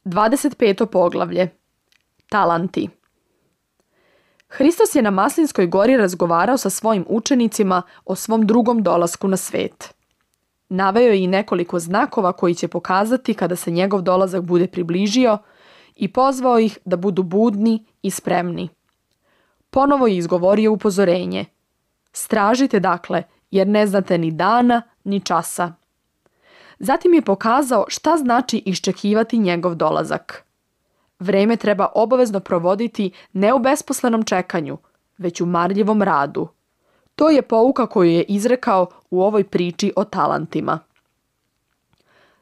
25. poglavlje. Talanti. Hristos je na Maslinskoj gori razgovarao sa svojim učenicima o svom drugom dolasku na svet. Naveo je i nekoliko znakova koji će pokazati kada se njegov dolazak bude približio i pozvao ih da budu budni i spremni. Ponovo je izgovorio upozorenje. Stražite dakle, jer ne znate ni dana ni časa. Zatim je pokazao šta znači iščekivati njegov dolazak. Vreme treba obavezno provoditi ne u besposlenom čekanju, već u marljivom radu. To je pouka koju je izrekao u ovoj priči o talentima.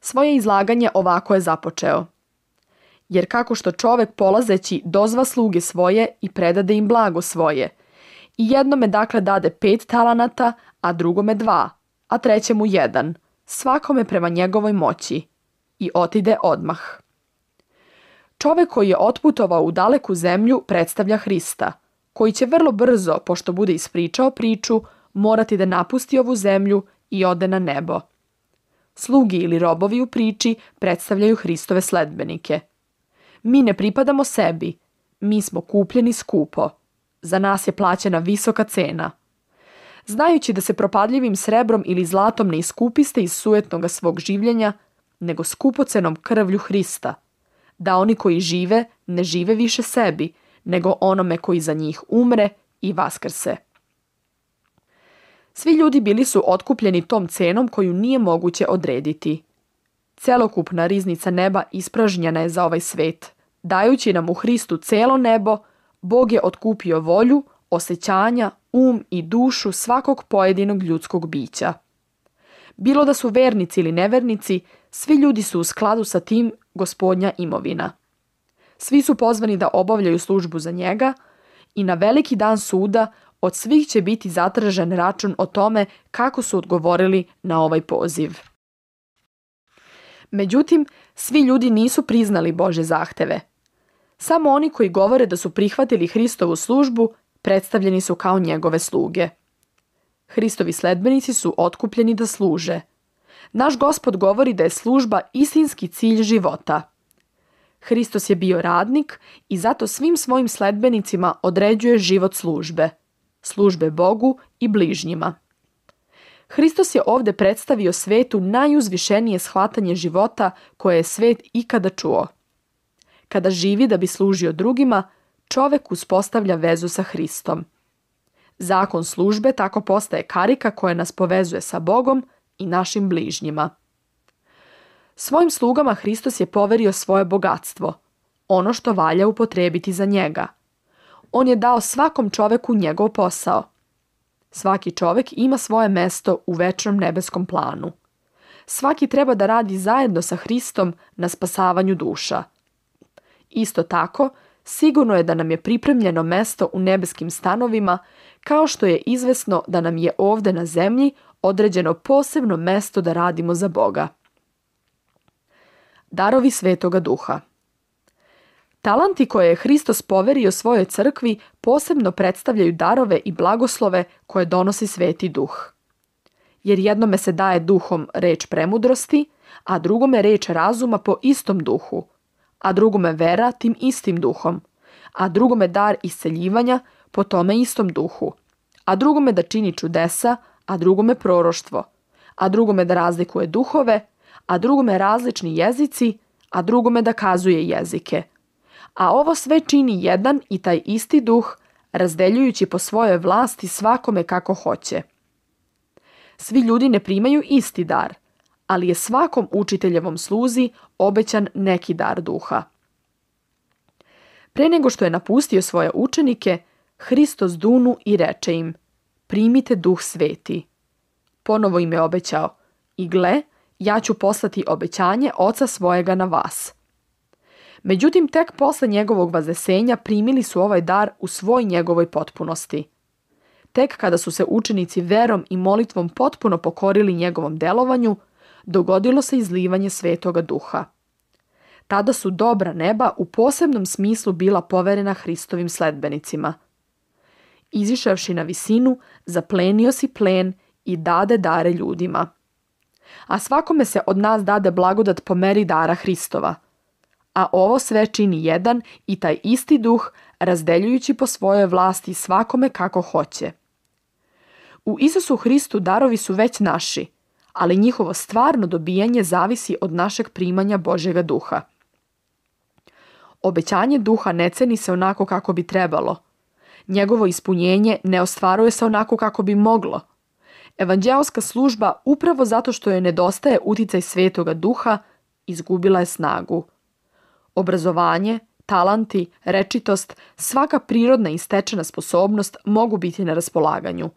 Svoje izlaganje ovako je započeo. Jer kako što čovek polazeći dozva sluge svoje i predade im blago svoje, i jednome dakle dade 5 talenata, a drugome 2, a trećemu 1, svakome prema njegovoj moći, i otide odmah. Čovek koji je otputovao u daleku zemlju predstavlja Hrista, koji će vrlo brzo, pošto bude ispričao priču, morati da napusti ovu zemlju i ode na nebo. Slugi ili robovi u priči predstavljaju Hristove sledbenike. Mi ne pripadamo sebi, mi smo kupljeni skupo. Za nas je plaćena visoka cena. Znajući da se propadljivim srebrom ili zlatom ne iskupiste iz sujetnoga svog življenja, nego skupocenom krvlju Hrista, da oni koji žive ne žive više sebi, nego onome koji za njih umre i vaskrse. Svi ljudi bili su otkupljeni tom cenom koju nije moguće odrediti. Celokupna riznica neba ispražnjena je za ovaj svet. Dajući nam u Hristu celo nebo, Bog je otkupio volju, osjećanja, i dušu svakog pojedinog ljudskog bića. Bilo da su vernici ili nevernici, svi ljudi su u skladu sa tim Gospodnja imovina. Svi su pozvani da obavljaju službu za njega i na veliki dan suda od svih će biti zatražen račun o tome kako su odgovorili na ovaj poziv. Međutim, svi ljudi nisu priznali Božje zahteve. Samo oni koji govore da su prihvatili Hristovu službu predstavljeni su kao njegove sluge. Hristovi sledbenici su otkupljeni da služe. Naš Gospod govori da je služba istinski cilj života. Hristos je bio radnik i zato svim svojim sledbenicima određuje život službe Bogu i bližnjima. Hristos je ovdje predstavio svetu najuzvišenije shvatanje života koje je svet ikada čuo. Kada živi da bi služio drugima, čovek uspostavlja vezu sa Hristom. Zakon službe tako postaje karika koja nas povezuje sa Bogom i našim bližnjima. Svojim slugama Hristos je poverio svoje bogatstvo, ono što valja upotrebiti za njega. On je dao svakom čoveku njegov posao. Svaki čovek ima svoje mesto u večnom nebeskom planu. Svaki treba da radi zajedno sa Hristom na spasavanju duša. Isto tako, sigurno je da nam je pripremljeno mesto u nebeskim stanovima, kao što je izvesno da nam je ovde na zemlji određeno posebno mesto da radimo za Boga. Darovi Svetoga Duha. Talanti koje je Hristos poverio svojoj crkvi posebno predstavljaju darove i blagoslove koje donosi Sveti Duh. Jer jednome se daje duhom reč premudrosti, a drugome reč razuma po istom duhu, a drugome vera tim istim duhom, a drugome dar isceljivanja po tome istom duhu, a drugome da čini čudesa, a drugome proroštvo, a drugome da razlikuje duhove, a drugome različni jezici, a drugome da kazuje jezike. A ovo sve čini jedan i taj isti duh, razdeljujući po svojoj vlasti svakome kako hoće. Svi ljudi ne primaju isti dar, ali je svakom učiteljevom sluzi obećan neki dar duha. Pre nego što je napustio svoje učenike, Hristos dunu i reče im: primite Duh Sveti. Ponovo im je obećao: i gle, ja ću poslati obećanje Oca svojega na vas. Međutim, tek posle njegovog vazesenja primili su ovaj dar u svoj njegovoj potpunosti. Tek kada su se učenici verom i molitvom potpuno pokorili njegovom delovanju, dogodilo se izlivanje Svetoga Duha. Tada su dobra neba u posebnom smislu bila poverena Hristovim sledbenicima. Izišavši na visinu, zaplenio si plen i dade dare ljudima. A svakome se od nas dade blagodat po meri dara Hristova. a ovo sve čini jedan i taj isti duh, razdeljujući po svojoj vlasti svakome kako hoće. U Isusu Hristu darovi su već naši, ali njihovo stvarno dobijanje zavisi od našeg primanja Božjega duha. Obećanje duha ne ceni se onako kako bi trebalo. Njegovo ispunjenje ne ostvaruje se onako kako bi moglo. Evanđeoska služba, upravo zato što joj nedostaje uticaj Svetoga duha, izgubila je snagu. Obrazovanje, talanti, rečitost, svaka prirodna i stečena sposobnost mogu biti na raspolaganju.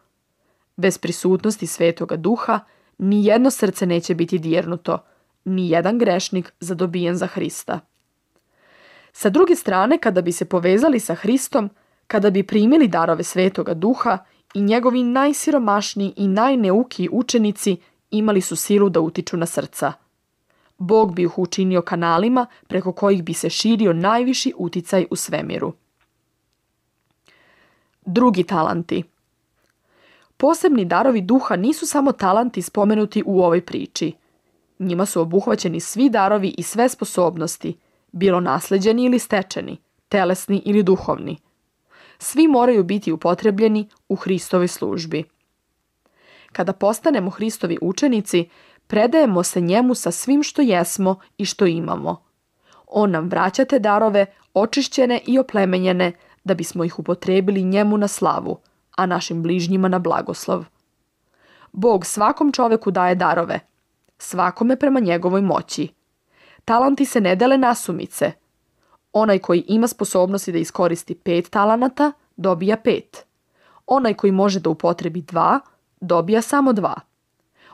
Bez prisutnosti Svetoga duha, ni jedno srce neće biti dirnuto, ni jedan grešnik zadobijen za Hrista. Sa druge strane, kada bi se povezali sa Hristom, kada bi primili darove Svetoga duha, i njegovi najsiromašniji i najneukiji učenici imali su silu da utiču na srca. Bog bi ih učinio kanalima preko kojih bi se širio najviši uticaj u svemiru. Drugi talanti. Posebni darovi duha nisu samo talanti spomenuti u ovoj priči. Njima su obuhvaćeni svi darovi i sve sposobnosti, bilo nasleđeni ili stečeni, telesni ili duhovni. Svi moraju biti upotrebljeni u Hristovoj službi. Kada postanemo Hristovi učenici, predajemo se njemu sa svim što jesmo i što imamo. On nam vraća te darove, očišćene i oplemenjene, da bismo ih upotrebili njemu na slavu, a našim bližnjima na blagoslov. Bog svakom čoveku daje darove, svakome prema njegovoj moći. Talanti se ne dele nasumice. Onaj koji ima sposobnosti da iskoristi 5 talanata, dobija 5. Onaj koji može da upotrebi 2, dobija samo 2.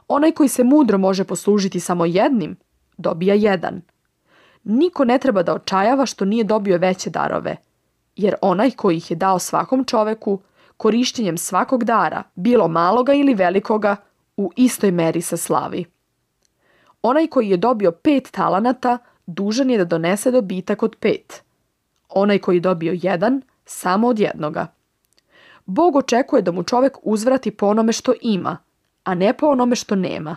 Onaj koji se mudro može poslužiti samo jednim, dobija 1. Niko ne treba da očajava što nije dobio veće darove, jer onaj koji ih je dao svakom čoveku, korišćenjem svakog dara, bilo maloga ili velikoga, u istoj meri se slavi. Onaj koji je dobio 5 talanata, dužan je da donese dobitak od 5. Onaj koji je dobio 1, samo od 1. Bog očekuje da mu čovek uzvrati po onome što ima, a ne po onome što nema.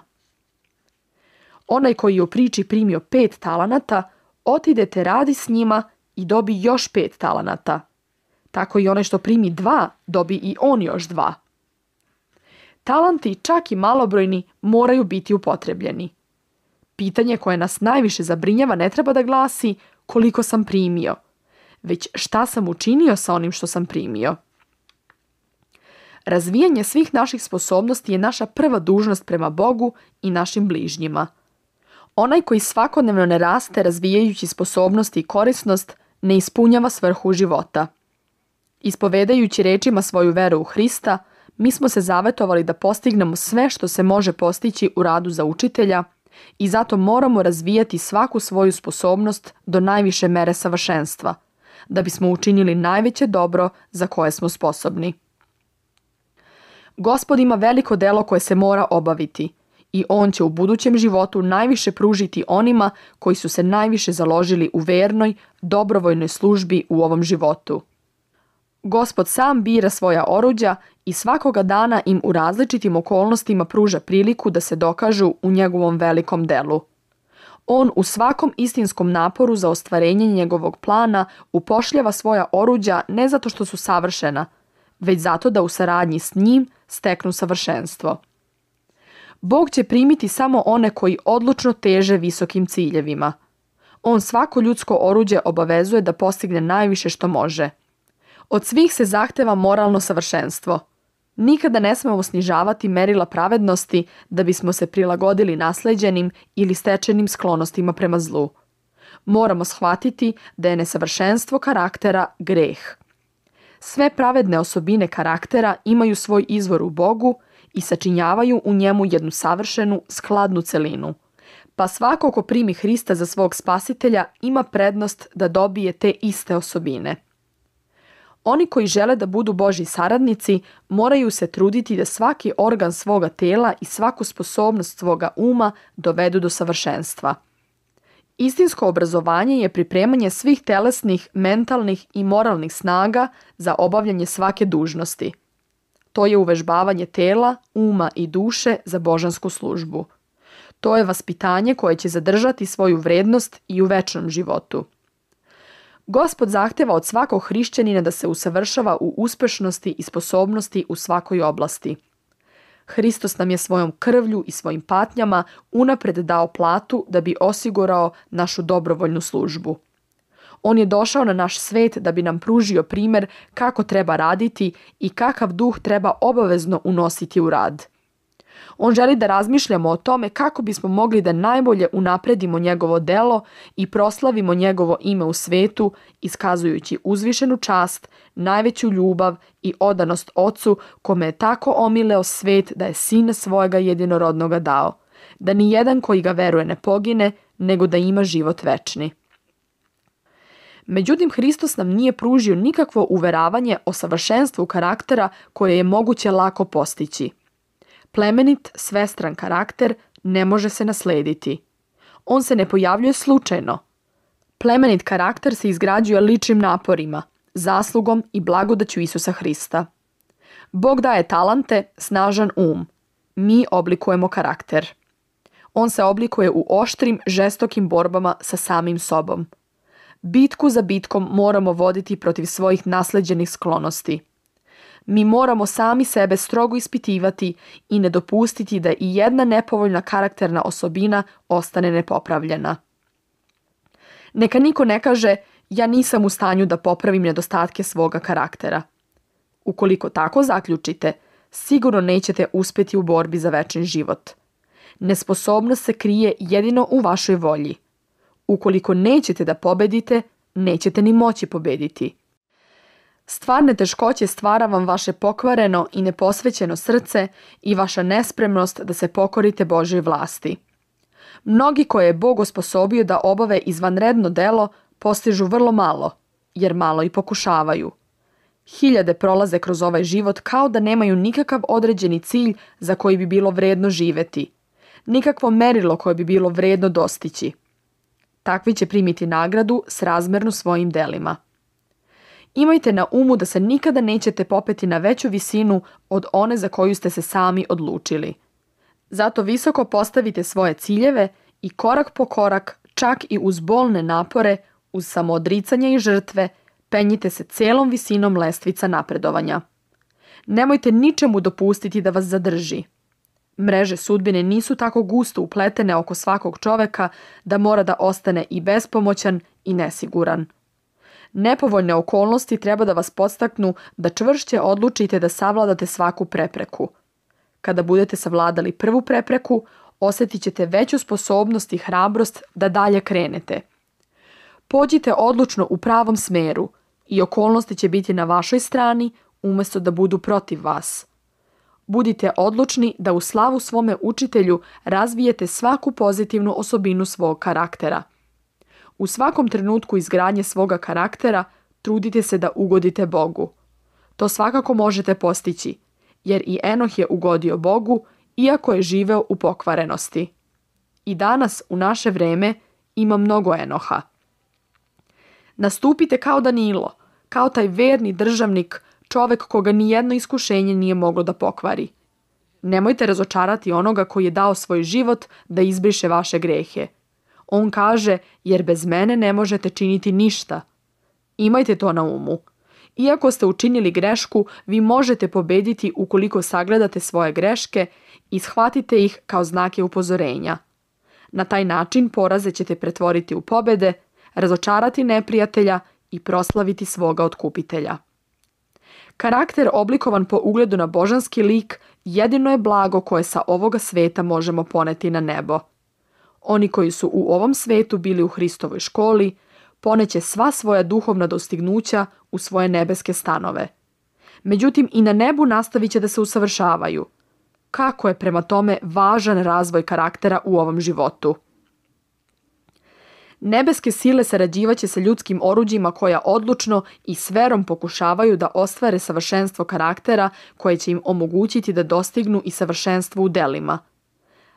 Onaj koji je u priči primio 5 talanata, otidete radi s njima i dobi još 5 talanata. Tako i onaj što primi 2, dobi i on još 2. Talanti, čak i malobrojni, moraju biti upotrebljeni. Pitanje koje nas najviše zabrinjava ne treba da glasi koliko sam primio, već šta sam učinio sa onim što sam primio. Razvijanje svih naših sposobnosti je naša prva dužnost prema Bogu i našim bližnjima. Onaj koji svakodnevno ne raste razvijajući sposobnosti i korisnost, ne ispunjava svrhu života. Ispovedajući rečima svoju veru u Hrista, mi smo se zavetovali da postignemo sve što se može postići u radu za učitelja i zato moramo razvijati svaku svoju sposobnost do najviše mere savršenstva, da bismo učinili najveće dobro za koje smo sposobni. Gospod ima veliko delo koje se mora obaviti i on će u budućem životu najviše pružiti onima koji su se najviše založili u vernoj, dobrovoljnoj službi u ovom životu. Gospod sam bira svoja oruđa i svakoga dana im u različitim okolnostima pruža priliku da se dokažu u njegovom velikom delu. On u svakom istinskom naporu za ostvarenje njegovog plana upošljava svoja oruđa ne zato što su savršena, već zato da u saradnji s njim steknu savršenstvo. Bog će primiti samo one koji odlučno teže visokim ciljevima. On svako ljudsko oruđe obavezuje da postigne najviše što može. Od svih se zahteva moralno savršenstvo. Nikada ne smemo snižavati merila pravednosti da bismo se prilagodili nasleđenim ili stečenim sklonostima prema zlu. Moramo shvatiti da je nesavršenstvo karaktera greh. Sve pravedne osobine karaktera imaju svoj izvor u Bogu i sačinjavaju u njemu jednu savršenu, skladnu celinu. Pa svako ko primi Hrista za svog spasitelja ima prednost da dobije te iste osobine. Oni koji žele da budu Božji saradnici moraju se truditi da svaki organ svoga tela i svaku sposobnost svoga uma dovedu do savršenstva. Istinsko obrazovanje je pripremanje svih telesnih, mentalnih i moralnih snaga za obavljanje svake dužnosti. To je uvežbavanje tela, uma i duše za božansku službu. To je vaspitanje koje će zadržati svoju vrednost i u večnom životu. Gospod zahteva od svakog hrišćanina da se usavršava u uspešnosti i sposobnosti u svakoj oblasti. Hristos nam je svojom krvlju i svojim patnjama unapred dao platu da bi osigurao našu dobrovoljnu službu. On je došao na naš svet da bi nam pružio primjer kako treba raditi i kakav duh treba obavezno unositi u rad. On želi da razmišljamo o tome kako bismo mogli da najbolje unapredimo njegovo delo i proslavimo njegovo ime u svetu, iskazujući uzvišenu čast, najveću ljubav i odanost Ocu, kome je tako omileo svet da je Sina svojega jedinorodnoga dao, da ni jedan koji ga veruje ne pogine, nego da ima život večni. Međutim, Hristos nam nije pružio nikakvo uveravanje o savršenstvu karaktera koje je moguće lako postići. Plemenit, svestran karakter ne može se naslediti. On se ne pojavljuje slučajno. Plemenit karakter se izgrađuje ličnim naporima, zaslugom i blagodaću Isusa Hrista. Bog daje talante, snažan um. Mi oblikujemo karakter. On se oblikuje u oštrim, žestokim borbama sa samim sobom. Bitku za bitkom moramo voditi protiv svojih nasleđenih sklonosti. Mi moramo sami sebe strogo ispitivati i ne dopustiti da i jedna nepovoljna karakterna osobina ostane nepopravljena. Neka niko ne kaže, ja nisam u stanju da popravim nedostatke svoga karaktera. Ukoliko tako zaključite, sigurno nećete uspjeti u borbi za večni život. Nesposobnost se krije jedino u vašoj volji. Ukoliko nećete da pobedite, nećete ni moći pobediti. Stvarne teškoće stvara vam vaše pokvareno i neposvećeno srce i vaša nespremnost da se pokorite Božoj vlasti. Mnogi koje je Bog osposobio da obave izvanredno delo postižu vrlo malo, jer malo i pokušavaju. Hiljade prolaze kroz ovaj život kao da nemaju nikakav određeni cilj za koji bi bilo vredno živeti, nikakvo merilo koje bi bilo vredno dostići. Takvi će primiti nagradu srazmernu svojim delima. Imajte na umu da se nikada nećete popeti na veću visinu od one za koju ste se sami odlučili. Zato visoko postavite svoje ciljeve i korak po korak, čak i uz bolne napore, uz samoodricanje i žrtve, penjite se celom visinom lestvica napredovanja. Nemojte ničemu dopustiti da vas zadrži. Mreže sudbine nisu tako gusto upletene oko svakog čoveka da mora da ostane i bespomoćan i nesiguran. Nepovoljne okolnosti treba da vas podstaknu da čvršće odlučite da savladate svaku prepreku. Kada budete savladali prvu prepreku, osjetit ćete veću sposobnost i hrabrost da dalje krenete. Pođite odlučno u pravom smeru i okolnosti će biti na vašoj strani umjesto da budu protiv vas. Budite odlučni da u slavu svome učitelju razvijete svaku pozitivnu osobinu svog karaktera. U svakom trenutku izgradnje svoga karaktera trudite se da ugodite Bogu. To svakako možete postići, jer i Enoh je ugodio Bogu, iako je živeo u pokvarenosti. I danas, u naše vreme, ima mnogo Enoha. Nastupite kao Danilo, kao taj verni državnik, čovek koga nijedno iskušenje nije moglo da pokvari. Nemojte razočarati onoga koji je dao svoj život da izbriše vaše grehe. On kaže, jer bez mene ne možete činiti ništa. Imajte to na umu. Iako ste učinili grešku, vi možete pobediti ukoliko sagledate svoje greške i shvatite ih kao znake upozorenja. Na taj način poraze ćete pretvoriti u pobede, razočarati neprijatelja i proslaviti svoga otkupitelja. Karakter oblikovan po ugledu na božanski lik jedino je blago koje sa ovoga sveta možemo poneti na nebo. Oni koji su u ovom svetu bili u Hristovoj školi, poneće sva svoja duhovna dostignuća u svoje nebeske stanove. Međutim, i na nebu nastavit će da se usavršavaju. Kako je prema tome važan razvoj karaktera u ovom životu? Nebeske sile sarađivaće sa ljudskim oruđima koja odlučno i s verom pokušavaju da ostvare savršenstvo karaktera koje će im omogućiti da dostignu i savršenstvo u delima.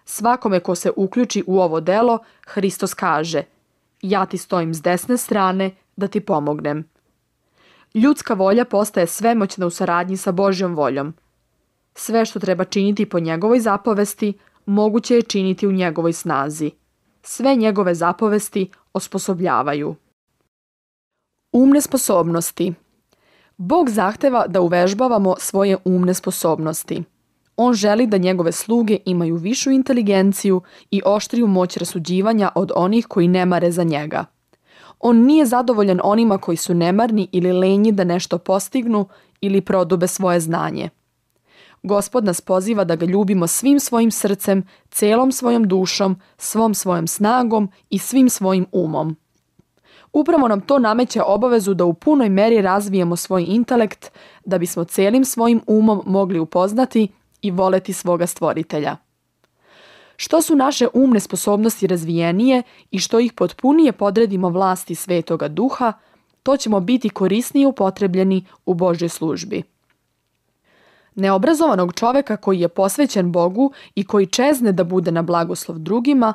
Svakome ko se uključi u ovo delo, Hristos kaže: ja ti stojim s desne strane da ti pomognem. Ljudska volja postaje svemoćna u saradnji sa Božjom voljom. Sve što treba činiti po njegovoj zapovesti, moguće je činiti u njegovoj snazi. Sve njegove zapovesti osposobljavaju. Umne sposobnosti. Bog zahteva da uvežbavamo svoje umne sposobnosti. On želi da njegove sluge imaju višu inteligenciju i oštriju moć rasuđivanja od onih koji ne mare za njega. On nije zadovoljan onima koji su nemarni ili lenji da nešto postignu ili prodube svoje znanje. Gospod nas poziva da ga ljubimo svim svojim srcem, celom svojom dušom, svom svojom snagom i svim svojim umom. Upravo nam to nameće obavezu da u punoj meri razvijemo svoj intelekt, da bismo celim svojim umom mogli upoznati i voleti svoga stvoritelja. Što su naše umne sposobnosti razvijenije i što ih potpunije podredimo vlasti Svetoga Duha, to ćemo biti korisnije upotrebljeni u Božjoj službi. Neobrazovanog čoveka koji je posvećen Bogu i koji čezne da bude na blagoslov drugima,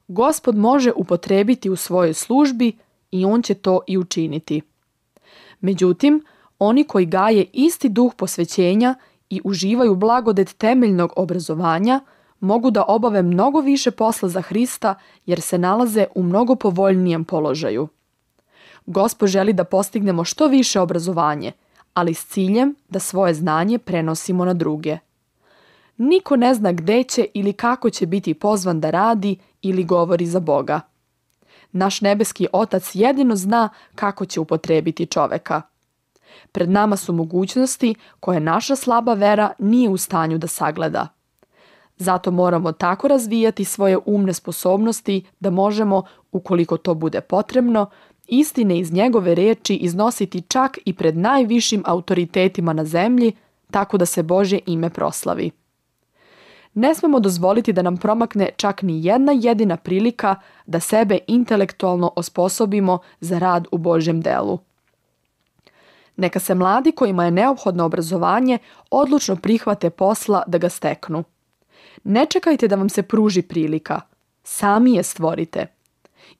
Gospod može upotrebiti u svojoj službi i on će to i učiniti. Međutim, oni koji gaje isti duh posvećenja i uživaju blagodet temeljnog obrazovanja, mogu da obave mnogo više posla za Hrista jer se nalaze u mnogo povoljnijem položaju. Gospod želi da postignemo što više obrazovanje, ali s ciljem da svoje znanje prenosimo na druge. Niko ne zna gde će ili kako će biti pozvan da radi ili govori za Boga. Naš nebeski Otac jedino zna kako će upotrebiti čoveka. Pred nama su mogućnosti koje naša slaba vera nije u stanju da sagleda. Zato moramo tako razvijati svoje umne sposobnosti da možemo, ukoliko to bude potrebno, istine iz njegove reči iznositi čak i pred najvišim autoritetima na zemlji, tako da se Božje ime proslavi. Ne smemo dozvoliti da nam promakne čak ni jedna jedina prilika da sebe intelektualno osposobimo za rad u Božjem delu. Neka se mladi kojima je neophodno obrazovanje odlučno prihvate posla da ga steknu. Ne čekajte da vam se pruži prilika. Sami je stvorite.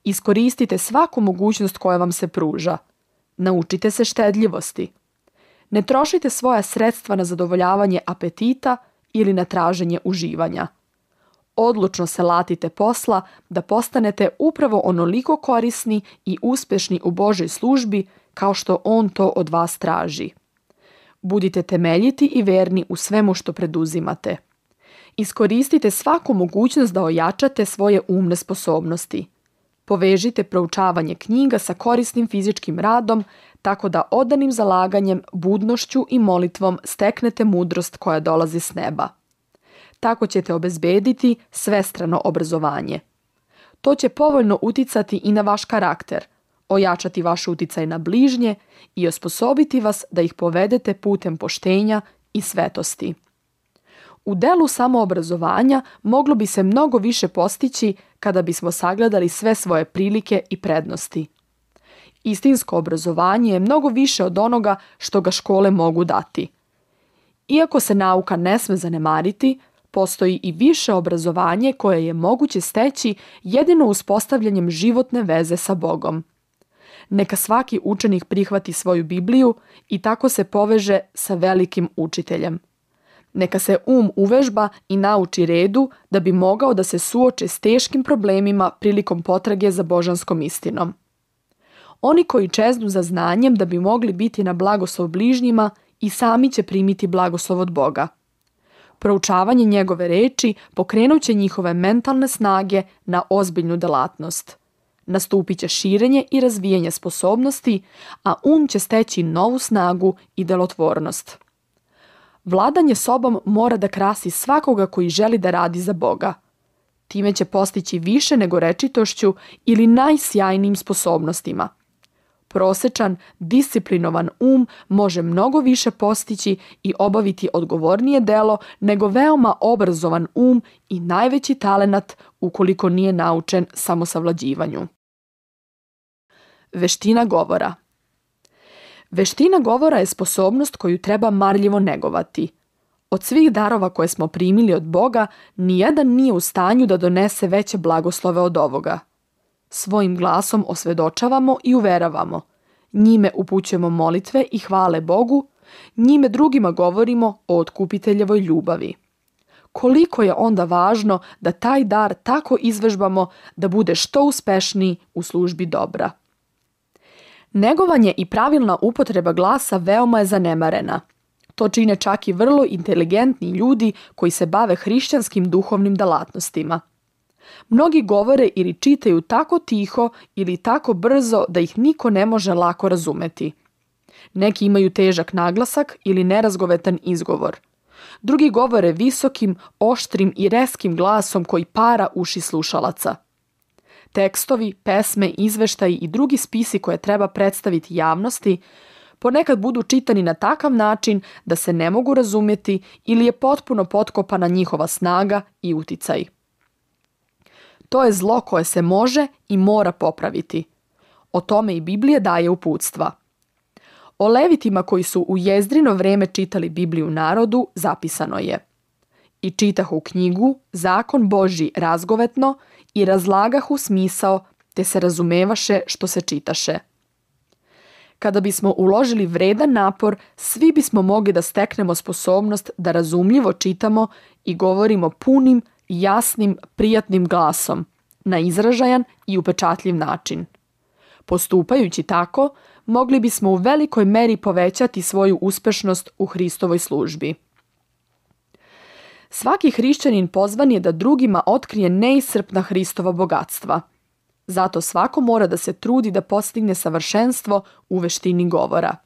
Iskoristite svaku mogućnost koja vam se pruža. Naučite se štedljivosti. Ne trošite svoja sredstva na zadovoljavanje apetita ili na traženje uživanja. Odlučno se latite posla da postanete upravo onoliko korisni i uspješni u Božoj službi kao što On to od vas traži. Budite temeljiti i verni u svemu što preduzimate. Iskoristite svaku mogućnost da ojačate svoje umne sposobnosti. Povežite proučavanje knjiga sa korisnim fizičkim radom, tako da odanim zalaganjem, budnošću i molitvom steknete mudrost koja dolazi s neba. Tako ćete obezbediti svestrano obrazovanje. To će povoljno uticati i na vaš karakter, ojačati vaš uticaj na bližnje i osposobiti vas da ih povedete putem poštenja i svetosti. U delu samoobrazovanja moglo bi se mnogo više postići kada bismo sagledali sve svoje prilike i prednosti. Istinsko obrazovanje je mnogo više od onoga što ga škole mogu dati. Iako se nauka ne sme zanemariti, postoji i više obrazovanje koje je moguće steći jedino uspostavljanjem životne veze sa Bogom. Neka svaki učenik prihvati svoju Bibliju i tako se poveže sa velikim učiteljem. Neka se uvežba i nauči redu da bi mogao da se suoči s teškim problemima prilikom potrage za božanskom istinom. Oni koji čeznu za znanjem da bi mogli biti na blagoslov bližnjima i sami će primiti blagoslov od Boga. Proučavanje njegove reči pokrenut će njihove mentalne snage na ozbiljnu delatnost. Nastupit će širenje i razvijanje sposobnosti, a će steći novu snagu i delotvornost. Vladanje sobom mora da krasi svakoga koji želi da radi za Boga. Time će postići više nego rečitošću ili najsjajnijim sposobnostima. Prosečan, disciplinovan može mnogo više postići i obaviti odgovornije delo nego veoma obrazovan i najveći talenat ukoliko nije naučen samosavlađivanju. Veština govora. Veština govora je sposobnost koju treba marljivo negovati. Od svih darova koje smo primili od Boga, nijedan nije u stanju da donese veće blagoslove od ovoga. Svojim glasom osvedočavamo i uveravamo. Njime upućujemo molitve i hvale Bogu, njime drugima govorimo o otkupiteljevoj ljubavi. koliko je onda važno da taj dar tako izvežbamo da bude što uspešniji u službi dobra. Negovanje i pravilna upotreba glasa veoma je zanemarena. To čine čak i vrlo inteligentni ljudi koji se bave hrišćanskim duhovnim delatnostima. Mnogi govore ili čitaju tako tiho ili tako brzo da ih niko ne može lako razumeti. Neki imaju težak naglasak ili nerazgovetan izgovor. Drugi govore visokim, oštrim i reskim glasom koji para uši slušalaca. Tekstovi, pesme, izveštaji i drugi spisi koje treba predstaviti javnosti ponekad budu čitani na takav način da se ne mogu razumjeti ili je potpuno potkopana njihova snaga i uticaj. To je zlo koje se može i mora popraviti. O tome i Biblija daje uputstva. O Levitima koji su u Jezdrino vreme čitali Bibliju narodu zapisano je: I čitahu knjigu, zakon Božji razgovetno i razlagahu smisao, te se razumevaše što se čitaše. Kada bismo uložili vredan napor, svi bismo mogli da steknemo sposobnost da razumljivo čitamo i govorimo punim, jasnim, prijatnim glasom, na izražajan i upečatljiv način. Postupajući tako, mogli bismo u velikoj meri povećati svoju uspešnost u Hristovoj službi. Svaki hrišćanin pozvan je da drugima otkrije neiscrpna Hristova bogatstva. Zato svako mora da se trudi da postigne savršenstvo u veštini govora.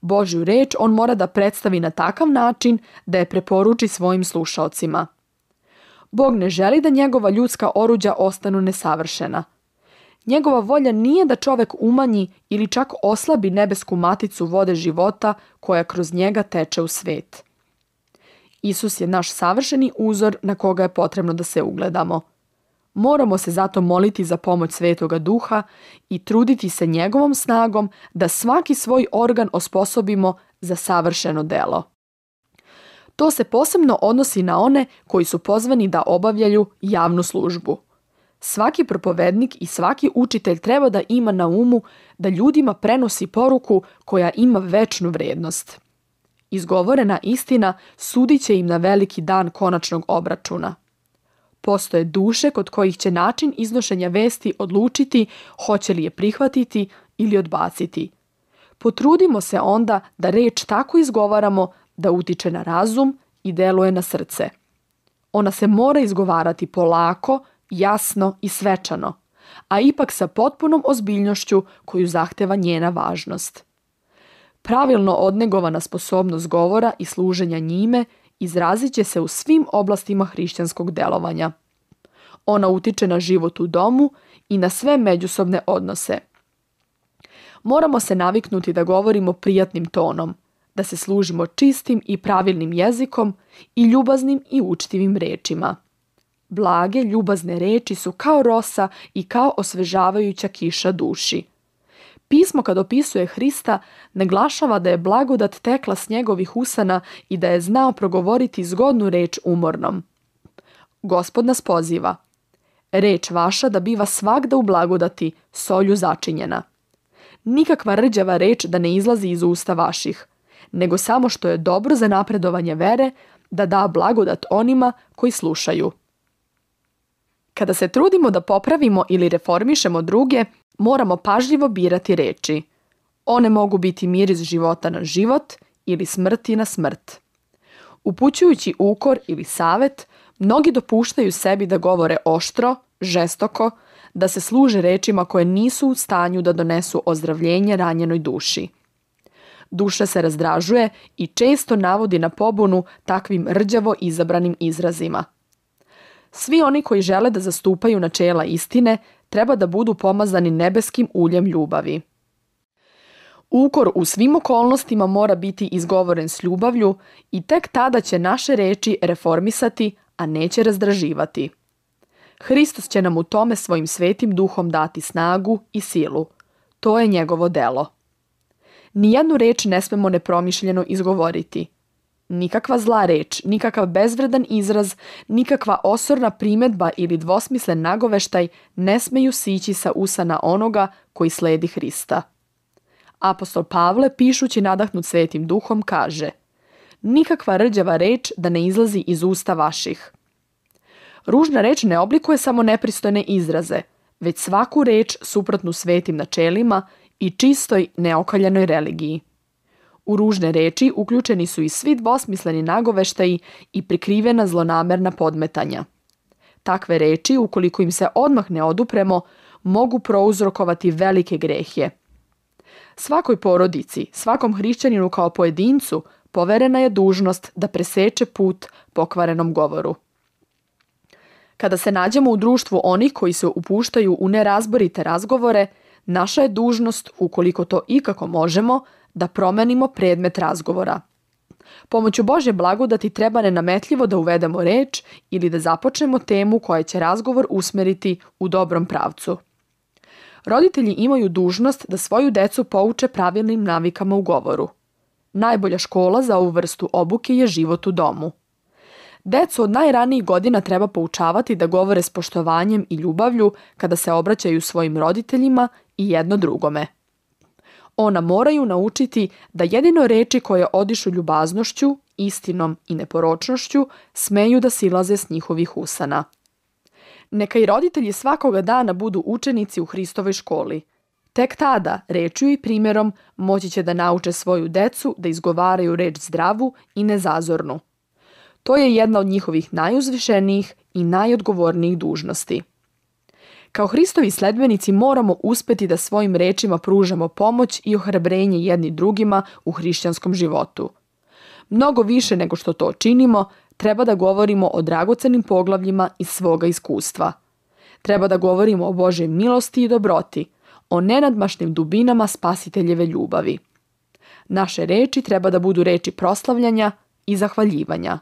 Božju reč on mora da predstavi na takav način da je preporuči svojim slušaocima. Bog ne želi da njegova ljudska oruđa ostanu nesavršena. Njegova volja nije da čovek umanji ili čak oslabi nebesku maticu vode života koja kroz njega teče u svet. Isus je naš savršeni uzor na koga je potrebno da se ugledamo. Moramo se zato moliti za pomoć Svetoga Duha i truditi se njegovom snagom da svaki svoj organ osposobimo za savršeno delo. To se posebno odnosi na one koji su pozvani da obavljaju javnu službu. Svaki propovednik i svaki učitelj treba da ima na umu da ljudima prenosi poruku koja ima večnu vrednost. Izgovorena istina sudit će im na veliki dan konačnog obračuna. Postoje duše kod kojih će način iznošenja vesti odlučiti hoće li je prihvatiti ili odbaciti. Potrudimo se onda da reč tako izgovaramo da utiče na razum i deluje na srce. Ona se mora izgovarati polako, jasno i svečano, a ipak sa potpunom ozbiljnošću koju zahteva njena važnost. Pravilno odnegovana sposobnost govora i služenja njime izrazit će se u svim oblastima hrišćanskog delovanja. Ona utiče na život u domu i na sve međusobne odnose. Moramo se naviknuti da govorimo prijatnim tonom, da se služimo čistim i pravilnim jezikom i ljubaznim i učtivim rečima. Blage, ljubazne reči su kao rosa i kao osvežavajuća kiša duši. Pismo kad opisuje Hrista naglašava da je blagodat tekla s njegovih usana i da je znao progovoriti zgodnu reč umornom. Gospod nas poziva: reč vaša da biva svagda u blagodati, solju začinjena. Nikakva rđava reč da ne izlazi iz usta vaših, nego samo što je dobro za napredovanje vere, da da blagodat onima koji slušaju. Kada se trudimo da popravimo ili reformišemo druge, moramo pažljivo birati reči. One mogu biti miris života na život ili smrti na smrt. Upućujući ukor ili savet, mnogi dopuštaju sebi da govore oštro, žestoko, da se služe rečima koje nisu u stanju da donesu ozdravljenje ranjenoj duši. Duša se razdražuje i često navodi na pobunu takvim rđavo izabranim izrazima. Svi oni koji žele da zastupaju načela istine treba da budu pomazani nebeskim uljem ljubavi. Ukor u svim okolnostima mora biti izgovoren s ljubavlju i tek tada će naše reči reformisati, a neće razdraživati. Hristos će nam u tome svojim svetim duhom dati snagu i silu. To je njegovo delo. Nijednu reč ne smemo nepromišljeno izgovoriti. Nikakva zla reč, nikakav bezvredan izraz, nikakva osorna primedba ili dvosmislen nagoveštaj ne smeju sići sa usana onoga koji sledi Hrista. Apostol Pavle, pišući nadahnut Svetim Duhom, kaže: nikakva rđava reč da ne izlazi iz usta vaših. Ružna reč ne oblikuje samo nepristojne izraze, već svaku reč suprotnu svetim načelima i čistoj neokaljanoj religiji. U ružne reči uključeni su i svi dvosmisleni nagoveštaji i prikrivena zlonamerna podmetanja. Takve reči, ukoliko im se odmah ne odupremo, mogu prouzrokovati velike grehje. Svakoj porodici, svakom hrišćaninu kao pojedincu poverena je dužnost da preseče put pokvarenom govoru. Kada se nađemo u društvu onih koji se upuštaju u nerazborite razgovore, naša je dužnost, ukoliko to ikako možemo, da promenimo predmet razgovora. Pomoću Božje blagodati treba nenametljivo da uvedemo reč ili da započnemo temu koja će razgovor usmeriti u dobrom pravcu. Roditelji imaju dužnost da svoju decu pouče pravilnim navikama u govoru. Najbolja škola za ovu vrstu obuke je život u domu. Decu od najranijih godina treba poučavati da govore s poštovanjem i ljubavlju kada se obraćaju svojim roditeljima i jedno drugome. Ona moraju naučiti da jedino reči koje odišu ljubaznošću, istinom i neporočnošću smeju da silaze s njihovih usana. Neka i roditelji svakoga dana budu učenici u Hristovoj školi. Tek tada, rečju i primjerom, moći će da nauče svoju decu da izgovaraju reč zdravu i nezazornu. To je jedna od njihovih najuzvišenijih i najodgovornijih dužnosti. Kao Hristovi sledbenici moramo uspeti da svojim rečima pružamo pomoć i ohrabrenje jedni drugima u hrišćanskom životu. Mnogo više nego što to činimo, treba da govorimo o dragocenim poglavljima iz svoga iskustva. Treba da govorimo o Božjoj milosti i dobroti, o nenadmašnim dubinama Spasiteljeve ljubavi. Naše reči treba da budu reči proslavljanja i zahvaljivanja.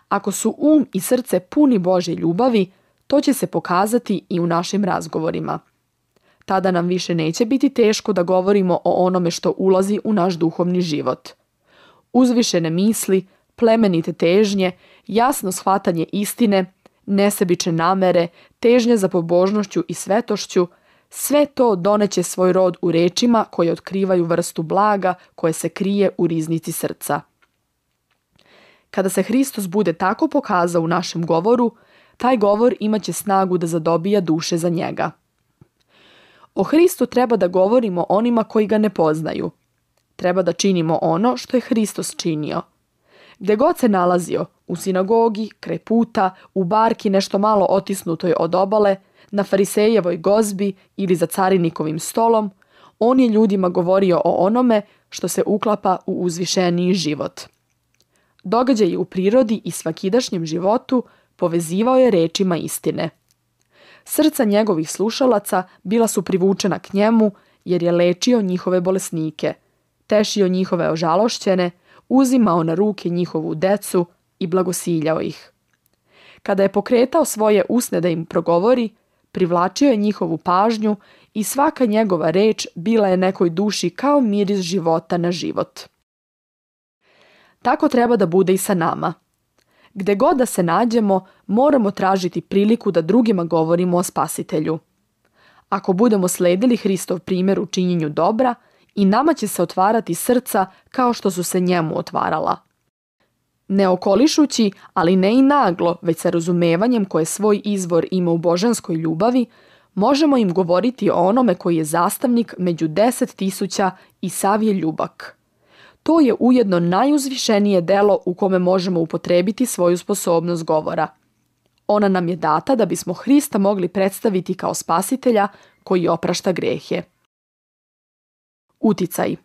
Ako su i srce puni Božje ljubavi, to će se pokazati i u našim razgovorima. Tada nam više neće biti teško da govorimo o onome što ulazi u naš duhovni život. Uzvišene misli, plemenite težnje, jasno shvatanje istine, nesebične namere, težnje za pobožnošću i svetošću, sve to doneće svoj rod u rečima koje otkrivaju vrstu blaga koje se krije u riznici srca. Kada se Hristos bude tako pokazao u našem govoru, taj govor imaće snagu da zadobija duše za njega. O Hristu treba da govorimo onima koji ga ne poznaju. Treba da činimo ono što je Hristos činio. Gde god se nalazio, u sinagogi, kraj puta, u barki nešto malo otisnutoj od obale, na farisejevoj gozbi ili za carinikovim stolom, on je ljudima govorio o onome što se uklapa u uzvišeniji život. Događaji u prirodi i svakidašnjem životu povezivao je rečima istine. Srca njegovih slušalaca bila su privučena k njemu jer je lečio njihove bolesnike, tešio njihove ožalošćene, uzimao na ruke njihovu decu i blagosiljao ih. Kada je pokretao svoje usne da im progovori, privlačio je njihovu pažnju i svaka njegova reč bila je nekoj duši kao miris života na život. Tako treba da bude i sa nama. Gde god da se nađemo, moramo tražiti priliku da drugima govorimo o Spasitelju. Ako budemo sledili Hristov primjer u činjenju dobra, i nama će se otvarati srca kao što su se njemu otvarala. Ne okolišući, ali ne i naglo, već sa razumevanjem koje svoj izvor ima u božanskoj ljubavi, možemo im govoriti o onome koji je zastavnik među 10.000 i sav je ljubak. To je ujedno najuzvišenije delo u kome možemo upotrebiti svoju sposobnost govora. Ona nam je data da bismo Hrista mogli predstaviti kao Spasitelja koji oprašta grehe. Uticaj.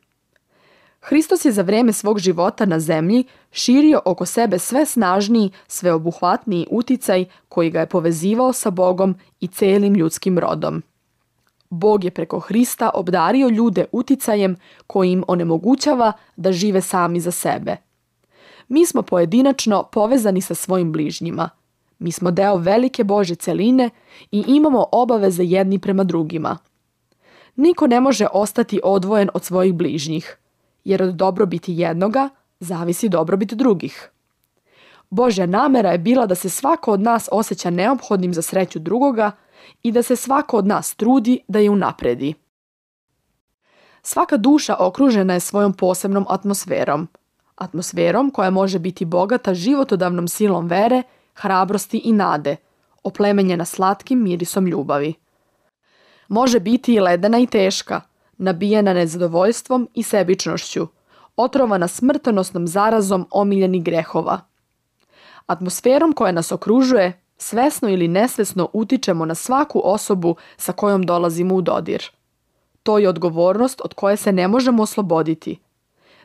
Hristos je za vreme svog života na zemlji širio oko sebe sve snažniji, sveobuhvatniji uticaj koji ga je povezivao sa Bogom i celim ljudskim rodom. Bog je preko Hrista obdario ljude uticajem koji im onemogućava da žive sami za sebe. Mi smo pojedinačno povezani sa svojim bližnjima. Mi smo deo velike Božje celine i imamo obaveze jedni prema drugima. Niko ne može ostati odvojen od svojih bližnjih, jer od dobrobiti jednoga zavisi dobrobit drugih. Božja namera je bila da se svako od nas osjeća neophodnim za sreću drugoga i da se svako od nas trudi da je unapredi. Svaka duša okružena je svojom posebnom atmosferom. atmosferom koja može biti bogata životodavnom silom vere, hrabrosti i nade, oplemenjena slatkim mirisom ljubavi. Može biti i ledena i teška, nabijena nezadovoljstvom i sebičnošću, otrovana smrtonosnom zarazom omiljenih grehova. Atmosferom koja nas okružuje, svesno ili nesvesno utičemo na svaku osobu sa kojom dolazimo u dodir. To je odgovornost od koje se ne možemo osloboditi.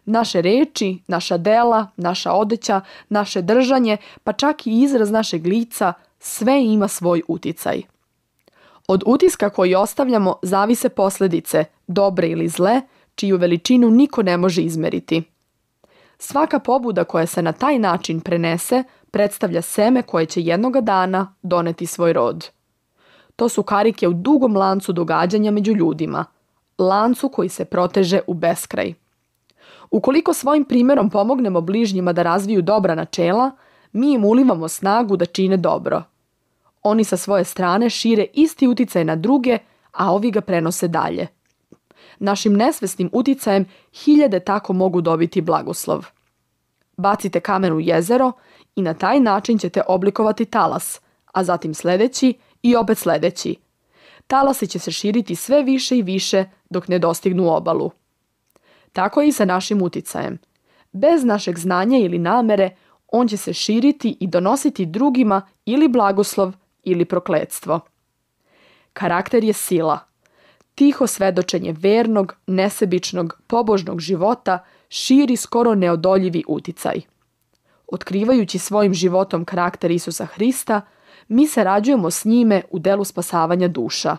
Naše reči, naša dela, naša odeća, naše držanje, pa čak i izraz našeg lica, sve ima svoj uticaj. Od utiska koji ostavljamo zavise posljedice, dobre ili zle, čiju veličinu niko ne može izmeriti. Svaka pobuda koja se na taj način prenese predstavlja seme koje će jednoga dana doneti svoj rod. To su karike u dugom lancu događanja među ljudima, lancu koji se proteže u beskraj. Ukoliko svojim primjerom pomognemo bližnjima da razviju dobra načela, mi im ulivamo snagu da čine dobro. Oni sa svoje strane šire isti uticaj na druge, a ovi ga prenose dalje. Našim nesvesnim uticajem hiljade tako mogu dobiti blagoslov. Bacite kamen u jezero i na taj način ćete oblikovati talas, a zatim sljedeći i opet sljedeći. Talasi će se širiti sve više i više dok ne dostignu obalu. Tako je i sa našim uticajem. Bez našeg znanja ili namere, on će se širiti i donositi drugima ili blagoslov ili prokletstvo. Karakter je sila. Tiho svedočenje vernog, nesebičnog, pobožnog života širi skoro neodoljivi uticaj. Otkrivajući svojim životom karakter Isusa Hrista, mi se rađujemo s njime u delu spasavanja duša.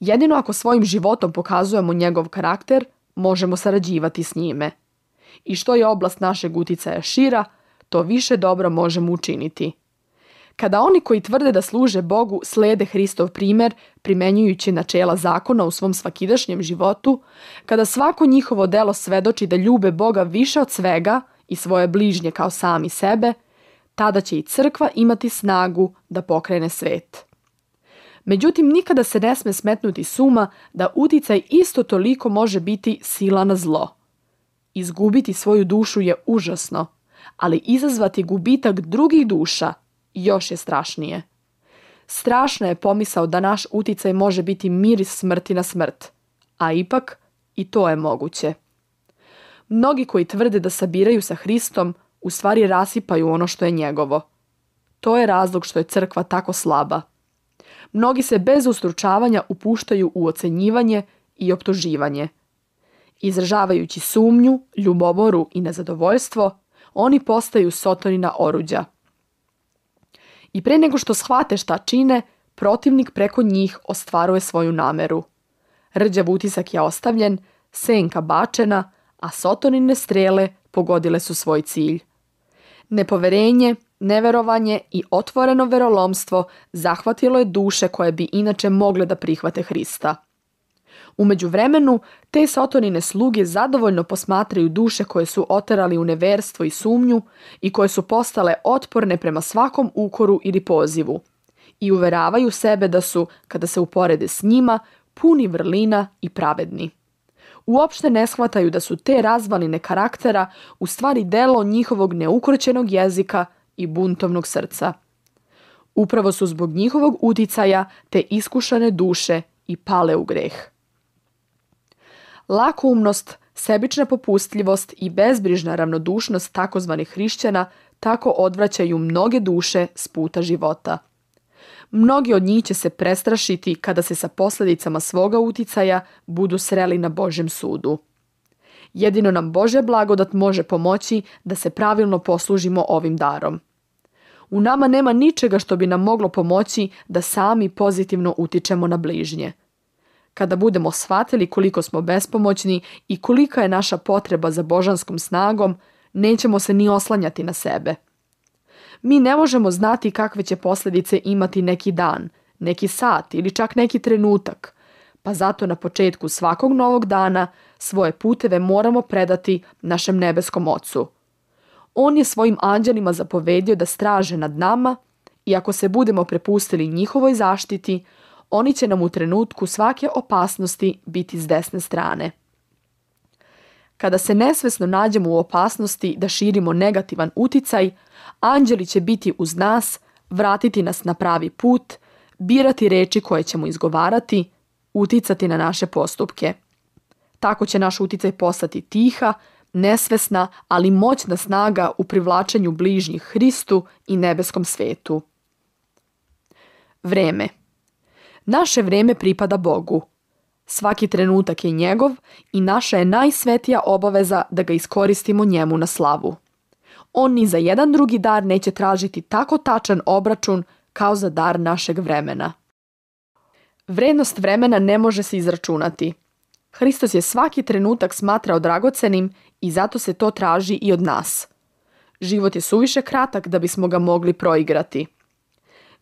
Jedino ako svojim životom pokazujemo njegov karakter, možemo sarađivati s njime. I što je oblast našeg uticaja šira, to više dobro možemo učiniti. Kada oni koji tvrde da služe Bogu slijede Hristov primjer, primenjujući načela zakona u svom svakidašnjem životu, kada svako njihovo delo svedoči da ljube Boga više od svega i svoje bližnje kao sami sebe, tada će i crkva imati snagu da pokrene svet. Međutim, nikada se ne sme smetnuti s uma da uticaj isto toliko može biti sila na zlo. Izgubiti svoju dušu je užasno, ali izazvati gubitak drugih duša još je strašnije. Strašna je pomisao da naš uticaj može biti miris smrti na smrt, a ipak i to je moguće. Mnogi koji tvrde da sabiraju sa Hristom, u stvari rasipaju ono što je njegovo. To je razlog što je crkva tako slaba. Mnogi se bez ustručavanja upuštaju u ocenjivanje i optuživanje. Izražavajući sumnju, ljubomoru i nezadovoljstvo, oni postaju Sotonina oruđa. I pre nego što shvate šta čine, protivnik preko njih ostvaruje svoju nameru. Rđav utisak je ostavljen, senka bačena, a Sotonine strele pogodile su svoj cilj. Nepoverenje, neverovanje i otvoreno verolomstvo zahvatilo je duše koje bi inače mogle da prihvate Hrista. U međuvremenu, te Sotonine sluge zadovoljno posmatraju duše koje su oterali u neverstvo i sumnju i koje su postale otporne prema svakom ukoru ili pozivu i uveravaju sebe da su, kada se uporede s njima, puni vrlina i pravedni. Uopšte ne shvataju da su te razvaline karaktera u stvari delo njihovog neukroćenog jezika i buntovnog srca. Upravo su zbog njihovog uticaja te iskušane duše i pale u greh. Lakoumnost, sebična popustljivost i bezbrižna ravnodušnost takozvanih hrišćana tako odvraćaju mnoge duše s puta života. Mnogi od njih će se prestrašiti kada se sa posljedicama svoga uticaja budu sreli na Božjem sudu. Jedino nam Božja blagodat može pomoći da se pravilno poslužimo ovim darom. U nama nema ničega što bi nam moglo pomoći da sami pozitivno utičemo na bližnje. Kada budemo shvatili koliko smo bespomoćni i kolika je naša potreba za božanskom snagom, nećemo se ni oslanjati na sebe. Mi ne možemo znati kakve će posljedice imati neki dan, neki sat ili čak neki trenutak, pa zato na početku svakog novog dana svoje puteve moramo predati našem nebeskom Ocu. On je svojim anđelima zapovedio da straže nad nama i ako se budemo prepustili njihovoj zaštiti, oni će nam u trenutku svake opasnosti biti s desne strane. Kada se nesvesno nađemo u opasnosti da širimo negativan uticaj, anđeli će biti uz nas, vratiti nas na pravi put, birati reči koje ćemo izgovarati, uticati na naše postupke. Tako će naš uticaj postati tiha, nesvesna, ali moćna snaga u privlačenju bližnjih Hristu i nebeskom svetu. Vreme. Naše vreme pripada Bogu. Svaki trenutak je njegov i naša je najsvetija obaveza da ga iskoristimo njemu na slavu. On ni za jedan drugi dar neće tražiti tako tačan obračun kao za dar našeg vremena. Vrednost vremena ne može se izračunati. Hristos je svaki trenutak smatrao dragocenim i zato se to traži i od nas. Život je suviše kratak da bismo ga mogli proigrati.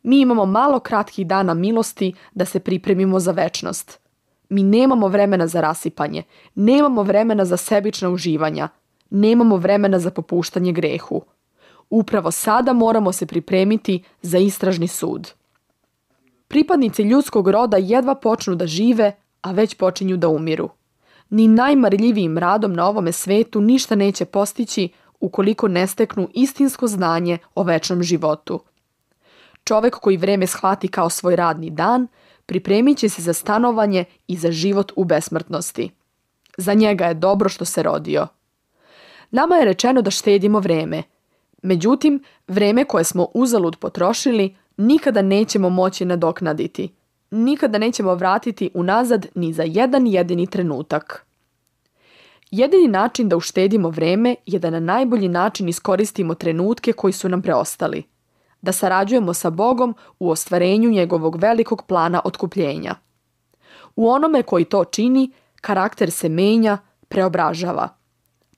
Mi imamo malo kratkih dana milosti da se pripremimo za večnost. Mi nemamo vremena za rasipanje, nemamo vremena za sebična uživanja, nemamo vremena za popuštanje grehu. Upravo sada moramo se pripremiti za istražni sud. Pripadnici ljudskog roda jedva počnu da žive, a već počinju da umiru. Ni najmarljivijim radom na ovome svetu ništa neće postići ukoliko ne steknu istinsko znanje o večnom životu. Čovek koji vreme shvati kao svoj radni dan, pripremit će se za stanovanje i za život u besmrtnosti. Za njega je dobro što se rodio. Nama je rečeno da štedimo vreme. Međutim, vreme koje smo uzalud potrošili nikada nećemo moći nadoknaditi. Nikada nećemo vratiti unazad ni za jedan jedini trenutak. Jedini način da uštedimo vreme je da na najbolji način iskoristimo trenutke koji su nam preostali. Da sarađujemo sa Bogom u ostvarenju njegovog velikog plana otkupljenja. U onome koji to čini, karakter se menja, preobražava.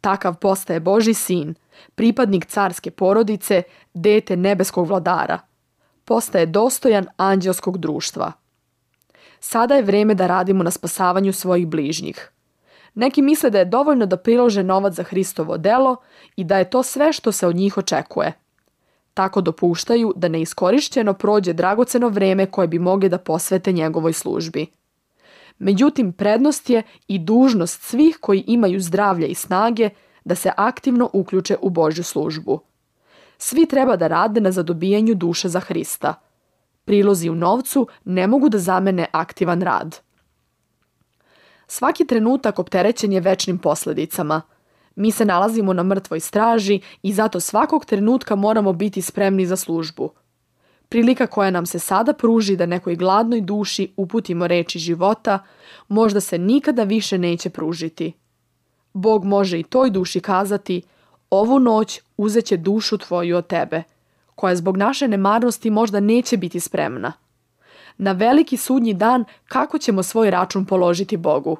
Takav postaje Božji sin, pripadnik carske porodice, dete nebeskog vladara. Postaje dostojan anđelskog društva. Sada je vreme da radimo na spasavanju svojih bližnjih. Neki misle da je dovoljno da prilože novac za Hristovo delo i da je to sve što se od njih očekuje. Tako dopuštaju da neiskorišćeno prođe dragoceno vreme koje bi mogli da posvete njegovoj službi. Međutim, prednost je i dužnost svih koji imaju zdravlje i snage da se aktivno uključe u Božju službu. Svi treba da rade na zadobijanju duše za Hrista. Prilozi u novcu ne mogu da zamene aktivan rad. Svaki trenutak opterećen je večnim posledicama. Mi se nalazimo na mrtvoj straži i zato svakog trenutka moramo biti spremni za službu. Prilika koja nam se sada pruži da nekoj gladnoj duši uputimo reči života, možda se nikada više neće pružiti. Bog može i toj duši kazati: ovu noć uzet će dušu tvoju od tebe, koja zbog naše nemarnosti možda neće biti spremna. Na veliki sudnji dan kako ćemo svoj račun položiti Bogu?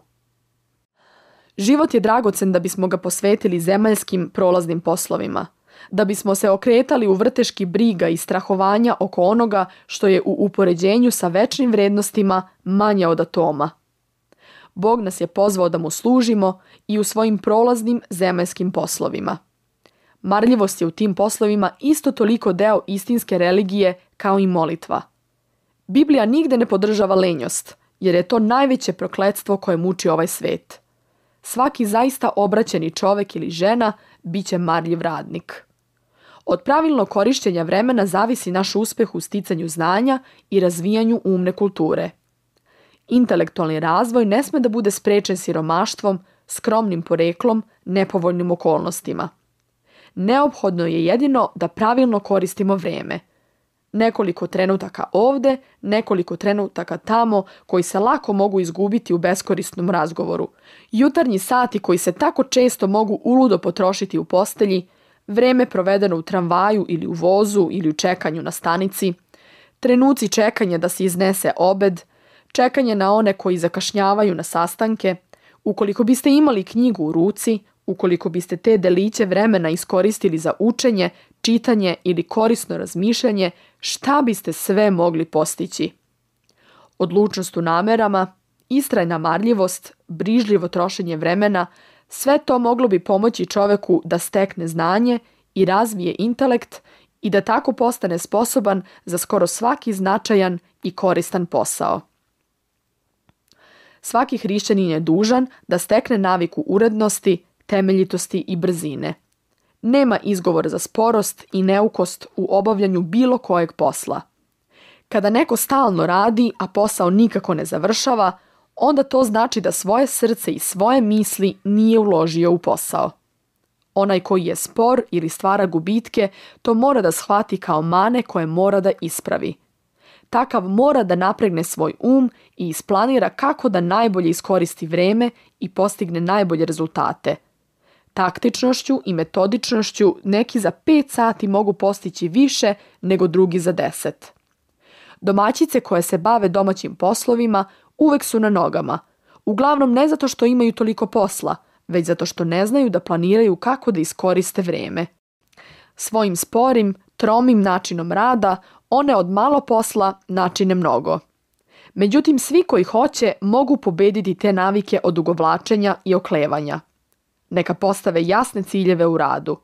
Život je dragocen da bismo ga posvetili zemaljskim prolaznim poslovima, da bismo se okretali u vrteški briga i strahovanja oko onoga što je u upoređenju sa večnim vrednostima manje od atoma. Bog nas je pozvao da mu služimo i u svojim prolaznim zemaljskim poslovima. Marljivost je u tim poslovima isto toliko deo istinske religije kao i molitva. Biblija nigde ne podržava lenjost, jer je to najveće prokletstvo koje muči ovaj svet. Svaki zaista obraćeni čovek ili žena bit će marljiv radnik. Od pravilnog korišćenja vremena zavisi naš uspeh u sticanju znanja i razvijanju umne kulture. Intelektualni razvoj ne sme da bude sprečen siromaštvom, skromnim poreklom, nepovoljnim okolnostima. Neophodno je jedino da pravilno koristimo vreme. Nekoliko trenutaka ovde, nekoliko trenutaka tamo koji se lako mogu izgubiti u beskorisnom razgovoru. Jutarnji sati koji se tako često mogu uludo potrošiti u postelji, vreme provedeno u tramvaju ili u vozu ili u čekanju na stanici, trenuci čekanja da se iznese obed, čekanje na one koji zakašnjavaju na sastanke. Ukoliko biste imali knjigu u ruci, ukoliko biste te deliće vremena iskoristili za učenje, čitanje ili korisno razmišljanje, šta biste sve mogli postići? Odlučnost u namerama, istrajna marljivost, brižljivo trošenje vremena, sve to moglo bi pomoći čoveku da stekne znanje i razvije intelekt i da tako postane sposoban za skoro svaki značajan i koristan posao. Svaki hrišćanin je dužan da stekne naviku urednosti, temeljitosti i brzine. Nema izgovora za sporost i neukost u obavljanju bilo kojeg posla. Kada neko stalno radi, a posao nikako ne završava, onda to znači da svoje srce i svoje misli nije uložio u posao. Onaj koji je spor ili stvara gubitke, to mora da shvati kao mane koje mora da ispravi. Takav mora da napregne svoj i isplanira kako da najbolje iskoristi vreme i postigne najbolje rezultate. Taktičnošću i metodičnošću neki za 5 sati mogu postići više nego drugi za 10. Domaćice koje se bave domaćim poslovima uvek su na nogama, uglavnom ne zato što imaju toliko posla, već zato što ne znaju da planiraju kako da iskoriste vreme. Svojim sporim, tromim načinom rada, one od malo posla načine mnogo. Međutim, svi koji hoće mogu pobediti te navike odugovlačenja i oklevanja. Neka postave jasne ciljeve u radu.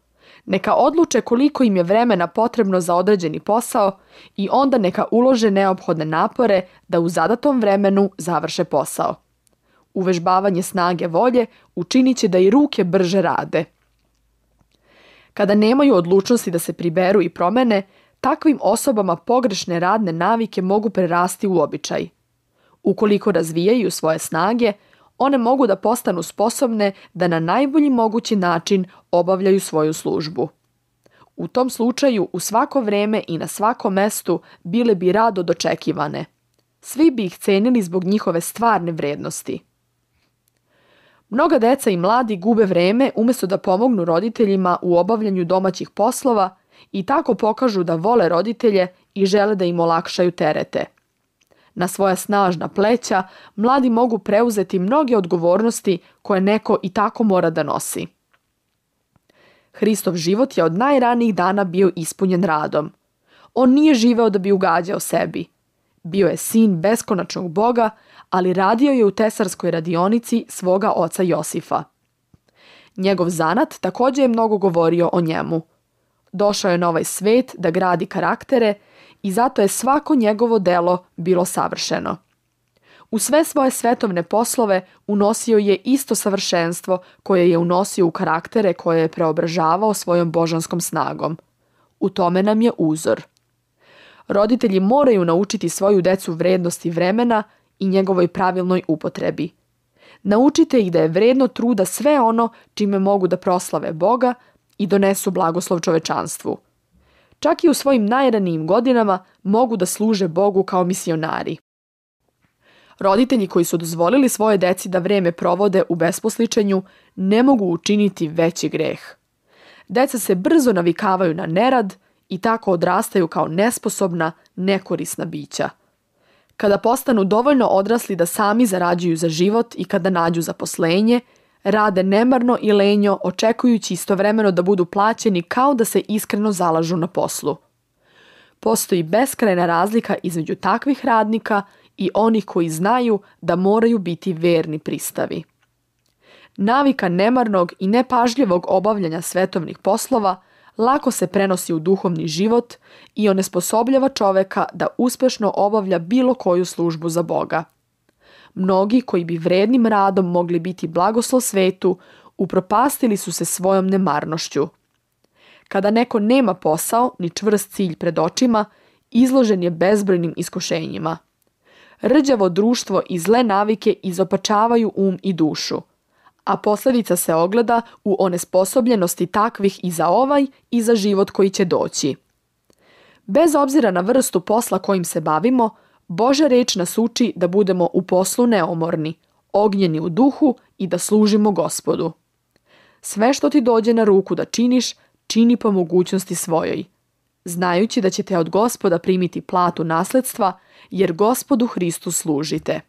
Neka odluče koliko im je vremena potrebno za određeni posao i onda neka ulože neophodne napore da u zadatom vremenu završe posao. Uvežbavanje snage volje učinit će da i ruke brže rade. Kada nemaju odlučnosti da se priberu i promene, takvim osobama pogrešne radne navike mogu prerasti u običaj. Ukoliko razvijaju svoje snage, one mogu da postanu sposobne da na najbolji mogući način obavljaju svoju službu. U tom slučaju u svako vreme i na svakom mestu bile bi rado dočekivane. Svi bi ih cenili zbog njihove stvarne vrednosti. Mnoga deca i mladi gube vreme umjesto da pomognu roditeljima u obavljanju domaćih poslova i tako pokažu da vole roditelje i žele da im olakšaju terete. Na svoja snažna pleća mladi mogu preuzeti mnoge odgovornosti koje neko i tako mora da nosi. Hristov život je od najranijih dana bio ispunjen radom. On nije živeo da bi ugađao sebi. Bio je sin beskonačnog Boga, ali radio je u tesarskoj radionici svoga oca Josifa. Njegov zanat također je mnogo govorio o njemu. Došao je na ovaj svet da gradi karaktere i zato je svako njegovo delo bilo savršeno. U sve svoje svetovne poslove unosio je isto savršenstvo koje je unosio u karaktere koje je preobražavao svojom božanskom snagom. U tome nam je uzor. Roditelji moraju naučiti svoju decu vrednosti vremena i njegovoj pravilnoj upotrebi. Naučite ih da je vredno truda sve ono čime mogu da proslave Boga i donesu blagoslov čovečanstvu. Čak i u svojim najranijim godinama mogu da služe Bogu kao misionari. Roditelji koji su dozvolili svoje deci da vreme provode u besposličenju ne mogu učiniti veći greh. Deca se brzo navikavaju na nerad i tako odrastaju kao nesposobna, nekorisna bića. Kada postanu dovoljno odrasli da sami zarađuju za život i kada nađu zaposlenje, rade nemarno i lenjo očekujući istovremeno da budu plaćeni kao da se iskreno zalažu na poslu. Postoji beskrajna razlika između takvih radnika i onih koji znaju da moraju biti verni pristavi. Navika nemarnog i nepažljivog obavljanja svetovnih poslova lako se prenosi u duhovni život i onesposobljava čoveka da uspešno obavlja bilo koju službu za Boga. Mnogi koji bi vrednim radom mogli biti blagoslov svetu, upropastili su se svojom nemarnošću. Kada neko nema posao ni čvrst cilj pred očima, izložen je bezbrojnim iskušenjima. Rđavo društvo i zle navike izopačavaju i dušu, a posljedica se ogleda u onesposobljenosti takvih i za ovaj i za život koji će doći. Bez obzira na vrstu posla kojim se bavimo, Božja reč nas uči da budemo u poslu neumorni, ognjeni u duhu i da služimo Gospodu. Sve što ti dođe na ruku da činiš, čini po mogućnosti svojoj, znajući da ćete od Gospoda primiti platu nasledstva, jer Gospodu Hristu služite.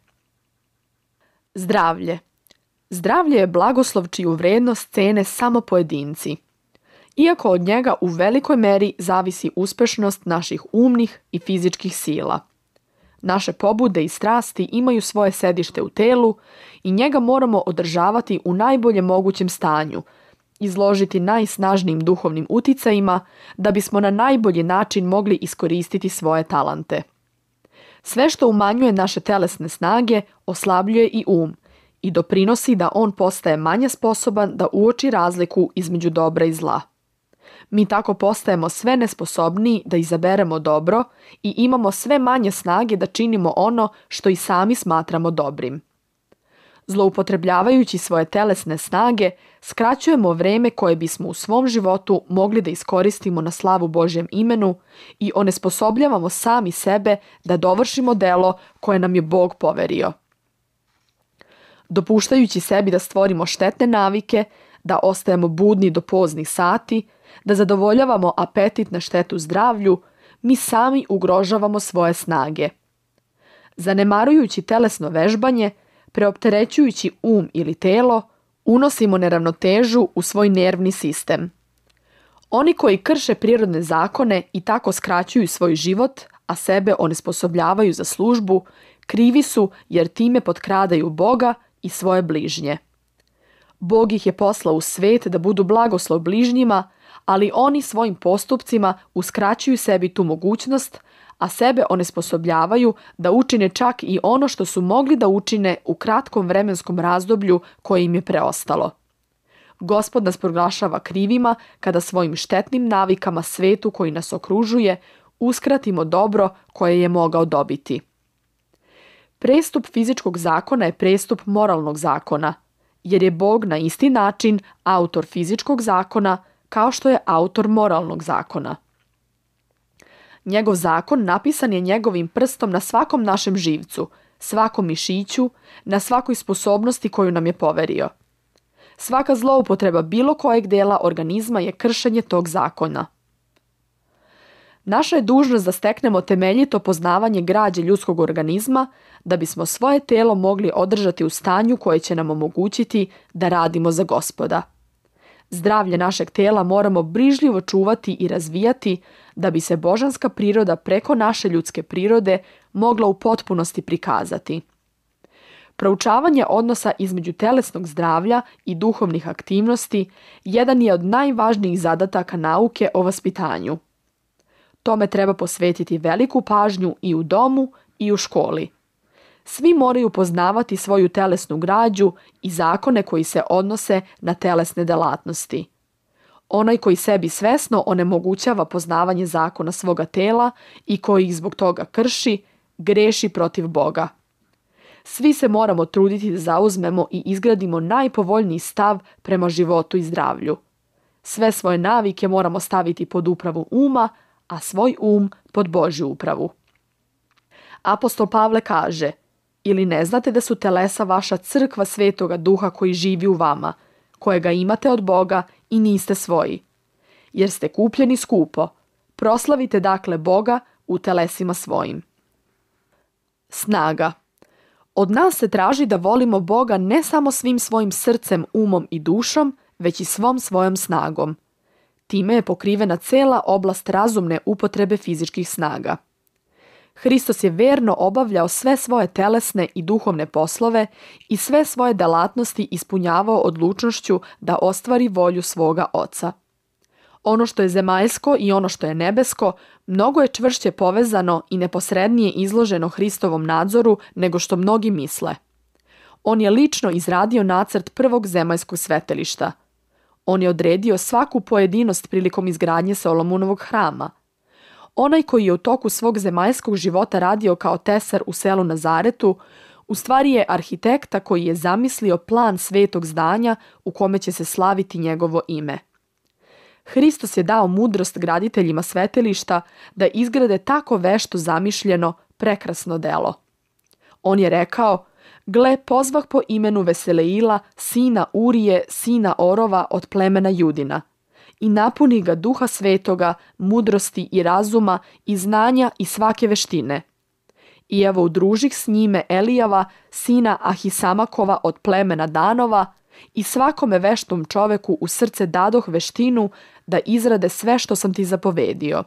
Zdravlje. Zdravlje je blagoslov čiju vrednost cene samo pojedinci. Iako od njega u velikoj meri zavisi uspešnost naših umnih i fizičkih sila. Naše pobude i strasti imaju svoje sedište u telu i njega moramo održavati u najboljem mogućem stanju, izložiti najsnažnijim duhovnim uticajima da bismo na najbolji način mogli iskoristiti svoje talante. Sve što umanjuje naše telesne snage oslabljuje i i doprinosi da on postaje manje sposoban da uoči razliku između dobra i zla. Mi tako postajemo sve nesposobniji da izaberemo dobro i imamo sve manje snage da činimo ono što i sami smatramo dobrim. Zloupotrebljavajući svoje telesne snage, skraćujemo vreme koje bismo u svom životu mogli da iskoristimo na slavu Božjem imenu i onesposobljavamo sami sebe da dovršimo delo koje nam je Bog poverio. Dopuštajući sebi da stvorimo štetne navike, da ostajemo budni do poznih sati, da zadovoljavamo apetit na štetu zdravlju, mi sami ugrožavamo svoje snage. Zanemarujući telesno vežbanje, preopterećujući ili telo, unosimo neravnotežu u svoj nervni sistem. Oni koji krše prirodne zakone i tako skraćuju svoj život, a sebe onesposobljavaju za službu, krivi su jer time potkradaju Boga i svoje bližnje. Bog ih je poslao u svet da budu blagoslov bližnjima, ali oni svojim postupcima uskraćuju sebi tu mogućnost, a sebe onesposobljavaju da učine čak i ono što su mogli da učine u kratkom vremenskom razdoblju koje im je preostalo. Gospod nas proglašava krivima kada svojim štetnim navikama svetu koji nas okružuje uskratimo dobro koje je mogao dobiti. Prestup fizičkog zakona je prestup moralnog zakona, jer je Bog na isti način autor fizičkog zakona kao što je autor moralnog zakona. Njegov zakon napisan je njegovim prstom na svakom našem živcu, svakom mišiću, na svakoj sposobnosti koju nam je poverio. Svaka zloupotreba bilo kojeg dela organizma je kršenje tog zakona. Naša je dužnost da steknemo temeljito poznavanje građe ljudskog organizma da bismo svoje telo mogli održati u stanju koje će nam omogućiti da radimo za Gospoda. Zdravlje našeg tela moramo brižljivo čuvati i razvijati da bi se božanska priroda preko naše ljudske prirode mogla u potpunosti prikazati. Proučavanje odnosa između telesnog zdravlja i duhovnih aktivnosti jedan je od najvažnijih zadataka nauke o vaspitanju. Tome treba posvetiti veliku pažnju i u domu i u školi. Svi moraju poznavati svoju telesnu građu i zakone koji se odnose na telesne delatnosti. Onaj koji sebi svesno onemogućava poznavanje zakona svoga tela i koji ih zbog toga krši, greši protiv Boga. Svi se moramo truditi da zauzmemo i izgradimo najpovoljniji stav prema životu i zdravlju. Sve svoje navike moramo staviti pod upravu uma, a svoj pod Božju upravu. Apostol Pavle kaže: ili ne znate da su telesa vaša crkva Svetoga Duha koji živi u vama, kojega imate od Boga i niste svoji, jer ste kupljeni skupo. Proslavite dakle Boga u telesima svojim. Snaga. Od nas se traži da volimo Boga ne samo svim svojim srcem, umom i dušom, već i svom svojom snagom. Time je pokrivena cela oblast razumne upotrebe fizičkih snaga. Hristos je verno obavljao sve svoje telesne i duhovne poslove i sve svoje delatnosti ispunjavao odlučnošću da ostvari volju svoga Oca. Ono što je zemaljsko i ono što je nebesko mnogo je čvršće povezano i neposrednije izloženo Hristovom nadzoru nego što mnogi misle. On je lično izradio nacrt prvog zemaljskog svetilišta. On je odredio svaku pojedinost prilikom izgradnje Solomonovog hrama. Onaj koji je u toku svog zemaljskog života radio kao tesar u selu Nazaretu, u stvari je arhitekta koji je zamislio plan svetog zdanja u kome će se slaviti njegovo ime. Hristos je dao mudrost graditeljima svetilišta da izgrade tako vešto zamišljeno, prekrasno delo. On je rekao: gle, pozvah po imenu Veseleila, sina Urije, sina Orova od plemena Judina, i napuni ga Duha Svetoga, mudrosti i razuma i znanja i svake veštine. I evo udružih s njime Elijava, sina Ahisamakova od plemena Danova, i svakome veštom čoveku u srce dadoh veštinu da izrade sve što sam ti zapovedio.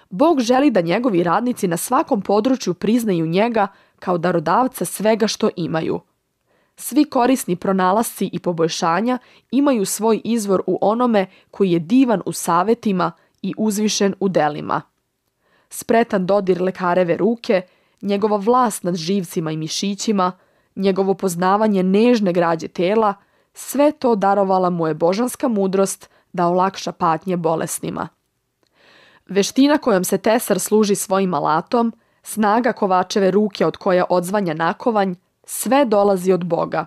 Bog želi da njegovi radnici na svakom području priznaju njega kao darodavca svega što imaju. Svi korisni pronalasci i poboljšanja imaju svoj izvor u onome koji je divan u savetima i uzvišen u delima. Spretan dodir lekareve ruke, njegova vlast nad živcima i mišićima, njegovo poznavanje nežne građe tela, sve to darovala mu je božanska mudrost da olakša patnje bolesnima. Veština kojom se tesar služi svojim alatom, snaga kovačeve ruke od koja odzvanja nakovanj, sve dolazi od Boga.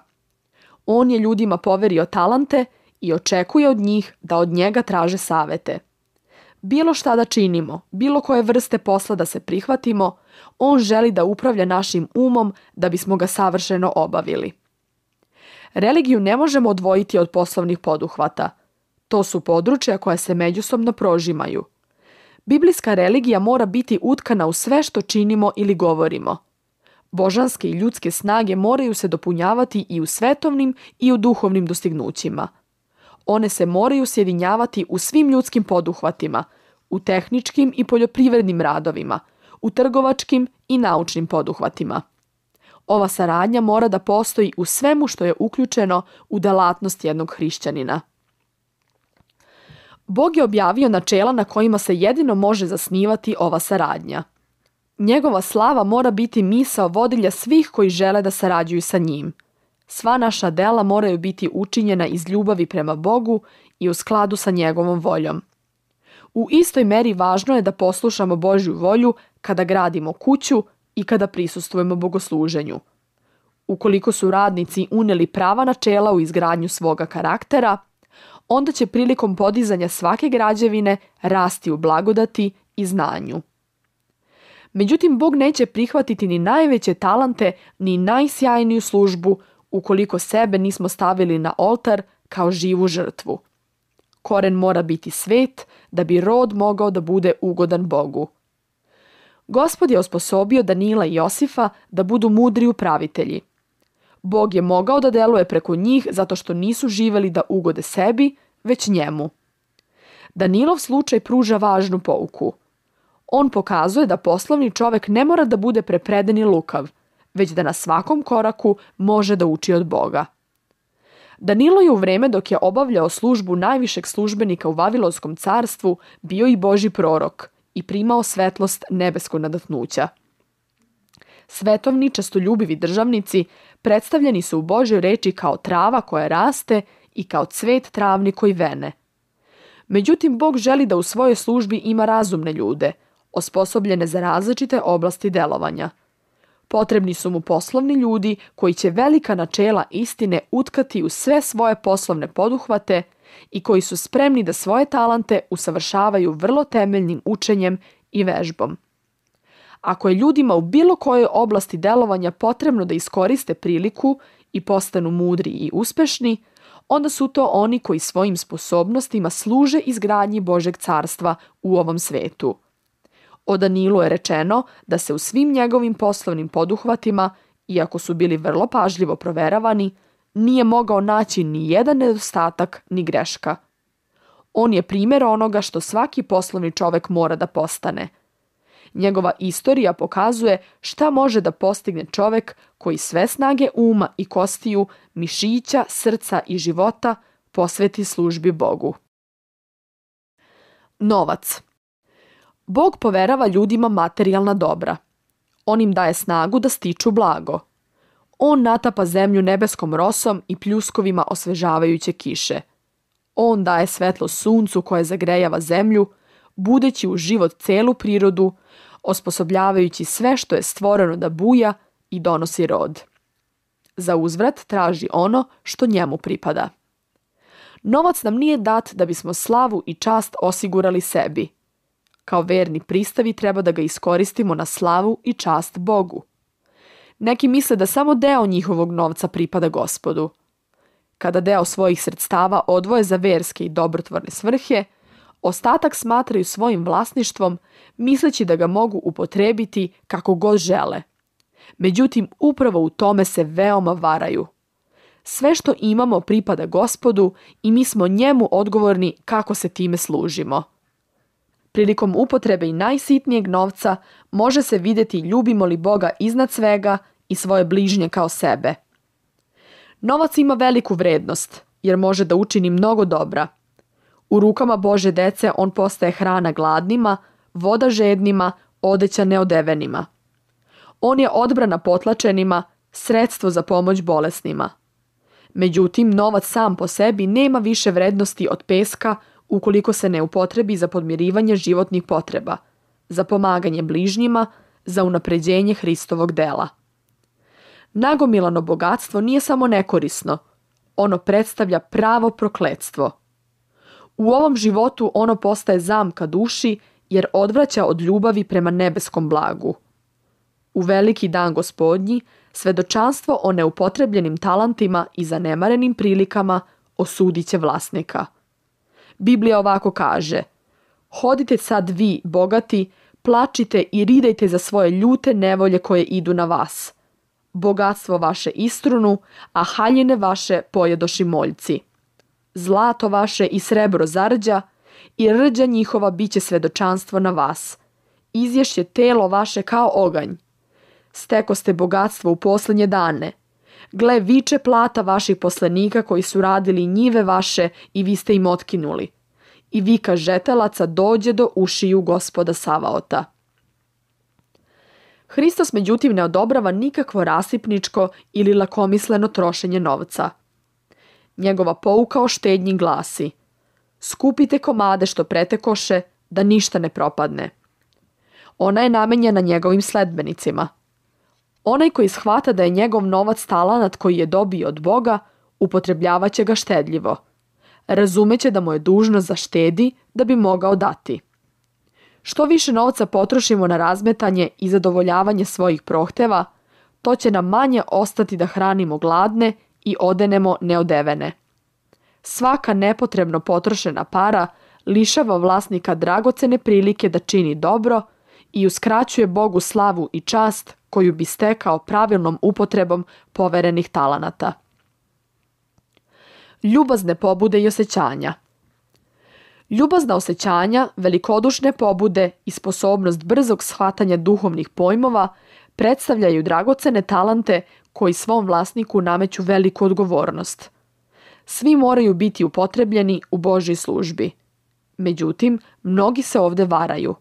On je ljudima poverio talante i očekuje od njih da od njega traže savete. Bilo šta da činimo, bilo koje vrste posla da se prihvatimo, on želi da upravlja našim umom da bismo ga savršeno obavili. Religiju ne možemo odvojiti od poslovnih poduhvata. To su područja koja se međusobno prožimaju. Biblijska religija mora biti utkana u sve što činimo ili govorimo. Božanske i ljudske snage moraju se dopunjavati i u svetovnim i u duhovnim dostignućima. One se moraju sjedinjavati u svim ljudskim poduhvatima, u tehničkim i poljoprivrednim radovima, u trgovačkim i naučnim poduhvatima. Ova saradnja mora da postoji u svemu što je uključeno u delatnost jednog hrišćanina. Bog je objavio načela na kojima se jedino može zasnivati ova saradnja. Njegova slava mora biti misao vodilja svih koji žele da sarađuju sa njim. Sva naša dela moraju biti učinjena iz ljubavi prema Bogu i u skladu sa njegovom voljom. U istoj meri važno je da poslušamo Božju volju kada gradimo kuću i kada prisustvujemo bogosluženju. Ukoliko su radnici uneli prava načela u izgradnju svoga karaktera, onda će prilikom podizanja svake građevine rasti u blagodati i znanju. Međutim, Bog neće prihvatiti ni najveće talante, ni najsjajniju službu ukoliko sebe nismo stavili na oltar kao živu žrtvu. Koren mora biti svet da bi rod mogao da bude ugodan Bogu. Gospod je osposobio Danila i Josifa da budu mudri upravitelji. Bog je mogao da deluje preko njih zato što nisu živeli da ugode sebi, već njemu. Danilov slučaj pruža važnu pouku. On pokazuje da poslovni čovek ne mora da bude prepreden i lukav, već da na svakom koraku može da uči od Boga. Danilo je u vreme dok je obavljao službu najvišeg službenika u Vavilonskom carstvu bio i Božji prorok i primao svetlost nebeskog nadatnuća. Svetovni, čestoljubivi državnici predstavljeni su u Božjoj reči kao trava koja raste i kao cvet travni koji vene. Međutim, Bog želi da u svojoj službi ima razumne ljude, osposobljene za različite oblasti delovanja. Potrebni su mu poslovni ljudi koji će velika načela istine utkati u sve svoje poslovne poduhvate i koji su spremni da svoje talante usavršavaju vrlo temeljnim učenjem i vežbom. Ako je ljudima u bilo kojoj oblasti delovanja potrebno da iskoriste priliku i postanu mudri i uspešni, onda su to oni koji svojim sposobnostima služe izgradnji Božeg carstva u ovom svetu. O Danilu je rečeno da se u svim njegovim poslovnim poduhvatima, iako su bili vrlo pažljivo proveravani, nije mogao naći ni jedan nedostatak ni greška. On je primjer onoga što svaki poslovni čovek mora da postane. Njegova istorija pokazuje šta može da postigne čovek koji sve snage uma i kostiju, mišića, srca i života posveti službi Bogu. Novac. Bog poverava ljudima materijalna dobra. On im daje snagu da stiču blago. On natapa zemlju nebeskom rosom i pljuskovima osvežavajuće kiše. On daje svetlo suncu koje zagrejava zemlju, budeći u život celu prirodu, osposobljavajući sve što je stvoreno da buja i donosi rod. Za uzvrat traži ono što njemu pripada. Novac nam nije dat da bismo slavu i čast osigurali sebi. Kao verni pristavi treba da ga iskoristimo na slavu i čast Bogu. Neki misle da samo deo njihovog novca pripada Gospodu. Kada deo svojih sredstava odvoje za verske i dobrotvorne svrhe, ostatak smatraju svojim vlasništvom, misleći da ga mogu upotrebiti kako god žele. Međutim, upravo u tome se veoma varaju. Sve što imamo pripada Gospodu i mi smo njemu odgovorni kako se time služimo. Prilikom upotrebe i najsitnijeg novca može se vidjeti ljubimo li Boga iznad svega i svoje bližnje kao sebe. Novac ima veliku vrednost, jer može da učini mnogo dobra. U rukama Bože dece on postaje hrana gladnima, voda žednima, odeća neodevenima. On je odbrana potlačenima, sredstvo za pomoć bolesnima. Međutim, novac sam po sebi nema više vrednosti od peska ukoliko se ne upotrebi za podmirivanje životnih potreba, za pomaganje bližnjima, za unapređenje Hristovog dela. Nagomilano bogatstvo nije samo nekorisno, ono predstavlja pravo prokletstvo. U ovom životu ono postaje zamka duši jer odvraća od ljubavi prema nebeskom blagu. U veliki dan Gospodnji svedočanstvo o neupotrebljenim talentima i zanemarenim prilikama osudit će vlasnika. Biblija ovako kaže: hodite sad vi, bogati, plačite i ridajte za svoje ljute nevolje koje idu na vas. Bogatstvo vaše istrunu, a haljine vaše pojedoši moljci. Zlato vaše i srebro zarđa, i rđa njihova biće svedočanstvo na vas. Izješće telo vaše kao oganj. Steko ste bogatstvo u posljednje dane. Gle, viče plata vaših poslenika koji su radili njive vaše i vi ste im otkinuli. I vika žetelaca dođe do ušiju Gospoda Savaota. Hristos međutim ne odobrava nikakvo rasipničko ili lakomisleno trošenje novca. Njegova pouka o štednji glasi: skupite komade što pretekoše, da ništa ne propadne. Ona je namenjena njegovim sledbenicima. Onaj koji shvata da je njegov novac talenat koji je dobio od Boga, upotrebljavaće ga štedljivo. Razumeće da mu je dužnost da štedi da bi mogao dati. Što više novca potrošimo na razmetanje i zadovoljavanje svojih prohteva, to će nam manje ostati da hranimo gladne i odenemo neodevene. Svaka nepotrebno potrošena para lišava vlasnika dragocene prilike da čini dobro i uskraćuje Bogu slavu i čast koju bi stekao pravilnom upotrebom poverenih talenata. Ljubazne pobude i osjećanja. Ljubazna osjećanja, velikodušne pobude i sposobnost brzog shvatanja duhovnih pojmova predstavljaju dragocene talente koji svom vlasniku nameću veliku odgovornost. Svi moraju biti upotrebljeni u Božjoj službi. Međutim, mnogi se ovdje varaju.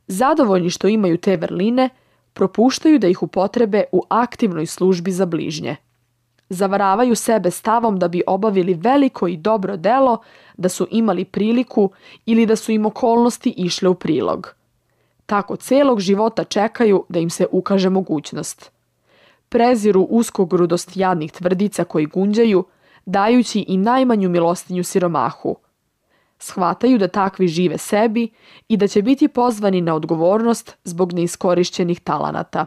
Zadovoljni što imaju te vrline, propuštaju da ih upotrebe u aktivnoj službi za bližnje. Zavaravaju sebe stavom da bi obavili veliko i dobro delo, da su imali priliku ili da su im okolnosti išle u prilog. Tako celog života čekaju da im se ukaže mogućnost. Preziru uskogrudost jadnih tvrdica koji gunđaju, dajući i najmanju milostinju siromahu. Shvataju da takvi žive sebi i da će biti pozvani na odgovornost zbog neiskorišćenih talenata.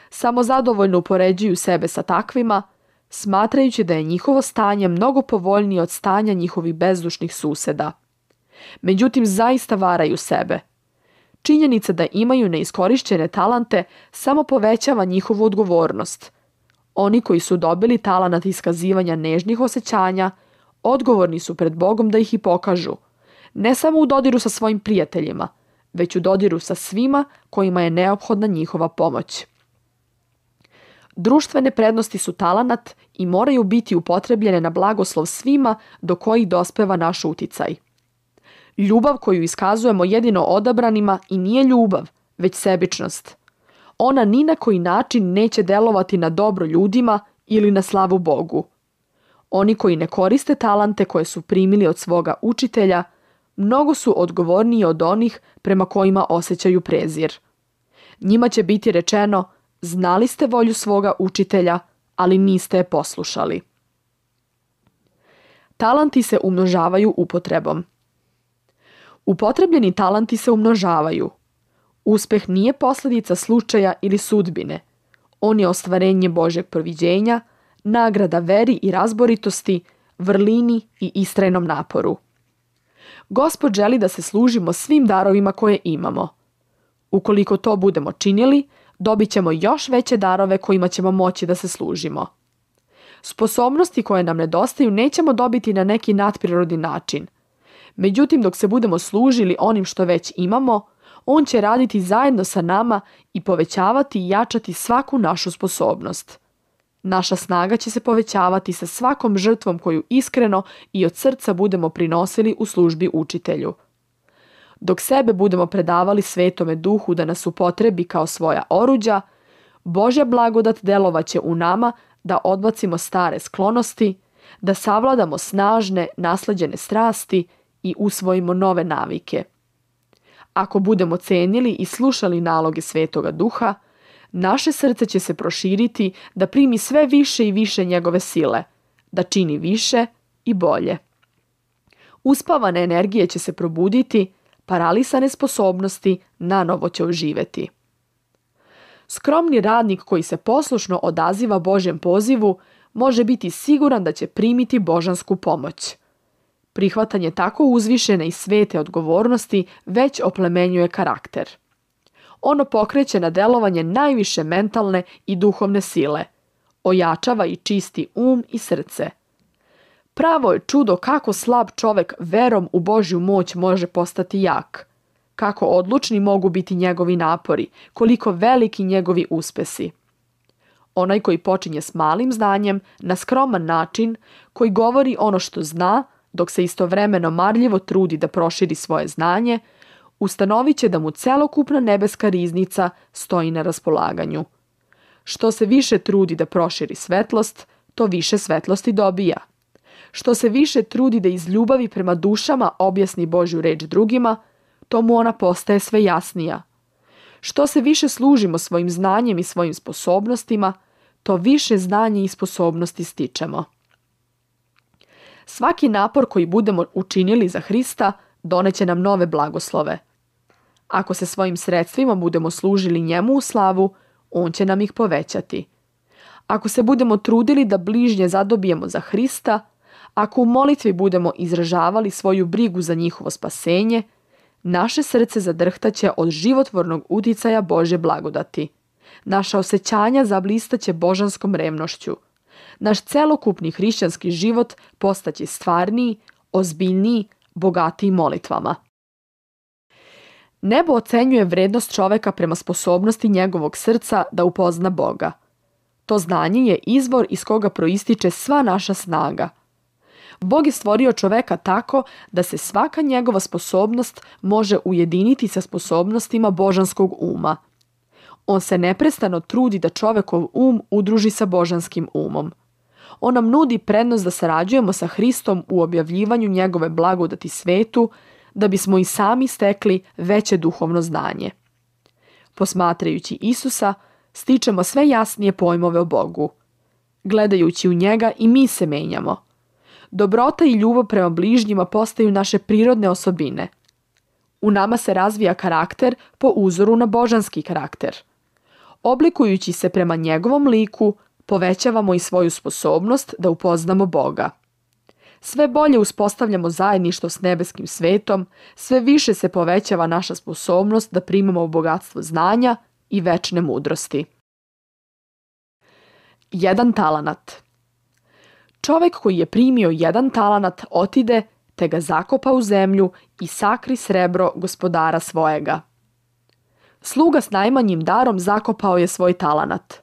Samo zadovoljno upoređuju sebe sa takvima, smatrajući da je njihovo stanje mnogo povoljnije od stanja njihovih bezdušnih suseda. Međutim, zaista varaju sebe. Činjenica da imaju neiskorišćene talente samo povećava njihovu odgovornost. Oni koji su dobili talenat iskazivanja nežnih osjećanja, odgovorni su pred Bogom da ih i pokažu, ne samo u dodiru sa svojim prijateljima, već u dodiru sa svima kojima je neophodna njihova pomoć. Društvene prednosti su talenat i moraju biti upotrebljene na blagoslov svima do kojih dospeva naš uticaj. Ljubav koju iskazujemo jedino odabranima i nije ljubav, već sebičnost. Ona ni na koji način neće delovati na dobro ljudima ili na slavu Bogu. Oni koji ne koriste talente koje su primili od svoga učitelja, mnogo su odgovorniji od onih prema kojima osjećaju prezir. Njima će biti rečeno: znali ste volju svoga učitelja, ali niste je poslušali. Talenti se umnožavaju upotrebom. Upotrebljeni talenti se umnožavaju. Uspeh nije posljedica slučaja ili sudbine. On je ostvarenje Božjeg proviđenja, nagrada veri i razboritosti, vrlini i istrajnom naporu. Gospod želi da se služimo svim darovima koje imamo. Ukoliko to budemo činili, dobit ćemo još veće darove kojima ćemo moći da se služimo. Sposobnosti koje nam nedostaju nećemo dobiti na neki nadprirodni način. Međutim, dok se budemo služili onim što već imamo, on će raditi zajedno sa nama i povećavati i jačati svaku našu sposobnost. Naša snaga će se povećavati sa svakom žrtvom koju iskreno i od srca budemo prinosili u službi učitelju. Dok sebe budemo predavali Svetome Duhu da nas upotrebi kao svoja oruđa, Božja blagodat delovaće u nama da odbacimo stare sklonosti, da savladamo snažne, nasleđene strasti i usvojimo nove navike. Ako budemo cenili i slušali naloge Svetoga Duha, naše srce će se proširiti da primi sve više i više njegove sile, da čini više i bolje. Uspavane energije će se probuditi, paralisane sposobnosti nanovo će oživeti. Skromni radnik koji se poslušno odaziva Božjem pozivu može biti siguran da će primiti božansku pomoć. Prihvatanje tako uzvišene i svete odgovornosti već oplemenjuje karakter. Ono pokreće na delovanje najviše mentalne i duhovne sile, ojačava i čisti i srce. Pravo je čudo kako slab čovek verom u Božju moć može postati jak, kako odlučni mogu biti njegovi napori, koliko veliki njegovi uspesi. Onaj koji počinje s malim znanjem, na skroman način, koji govori ono što zna, dok se istovremeno marljivo trudi da proširi svoje znanje, ustanovit će da mu celokupna nebeska riznica stoji na raspolaganju. Što se više trudi da proširi svetlost, to više svetlosti dobija. Što se više trudi da iz ljubavi prema dušama objasni Božju reč drugima, to mu ona postaje sve jasnija. Što se više služimo svojim znanjem i svojim sposobnostima, to više znanje i sposobnosti stičemo. Svaki napor koji budemo učinili za Hrista doneće nam nove blagoslove. Ako se svojim sredstvima budemo služili njemu u slavu, on će nam ih povećati. Ako se budemo trudili da bližnje zadobijemo za Hrista, ako u molitvi budemo izražavali svoju brigu za njihovo spasenje, naše srce zadrhtaće od životvornog uticaja Božje blagodati. Naša osjećanja zablistaće božanskom revnošću. Naš celokupni hrišćanski život postaće stvarniji, ozbiljniji, bogatiji molitvama. Nebo ocenjuje vrednost čoveka prema sposobnosti njegovog srca da upozna Boga. To znanje je izvor iz koga proističe sva naša snaga. Bog je stvorio čoveka tako da se svaka njegova sposobnost može ujediniti sa sposobnostima božanskog uma. On se neprestano trudi da čovekov udruži sa božanskim umom. On nam nudi prednost da sarađujemo sa Hristom u objavljivanju njegove blagodati svetu, da bismo i sami stekli veće duhovno znanje. Posmatrajući Isusa, stičemo sve jasnije pojmove o Bogu. Gledajući u njega i mi se menjamo. Dobrota i ljubav prema bližnjima postaju naše prirodne osobine. U nama se razvija karakter po uzoru na božanski karakter. Oblikujući se prema njegovom liku, povećavamo i svoju sposobnost da upoznamo Boga. Sve bolje uspostavljamo zajedništvo s nebeskim svetom, sve više se povećava naša sposobnost da primamo bogatstvo znanja i večne mudrosti. 1 talanat. Čovek koji je primio 1 talanat otide, te ga zakopa u zemlju i sakri srebro gospodara svojega. Sluga s najmanjim darom zakopao je svoj talanat.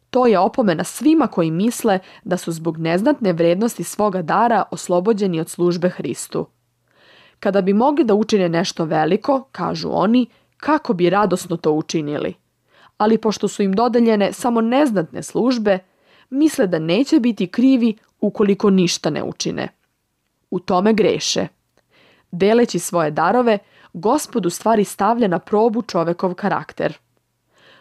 To je opomena svima koji misle da su zbog neznatne vrednosti svoga dara oslobođeni od službe Hristu. Kada bi mogli da učine nešto veliko, kažu oni, kako bi radosno to učinili. Ali pošto su im dodeljene samo neznatne službe, misle da neće biti krivi ukoliko ništa ne učine. U tome greše. Deleći svoje darove, Gospod u stvari stavlja na probu čovekov karakter.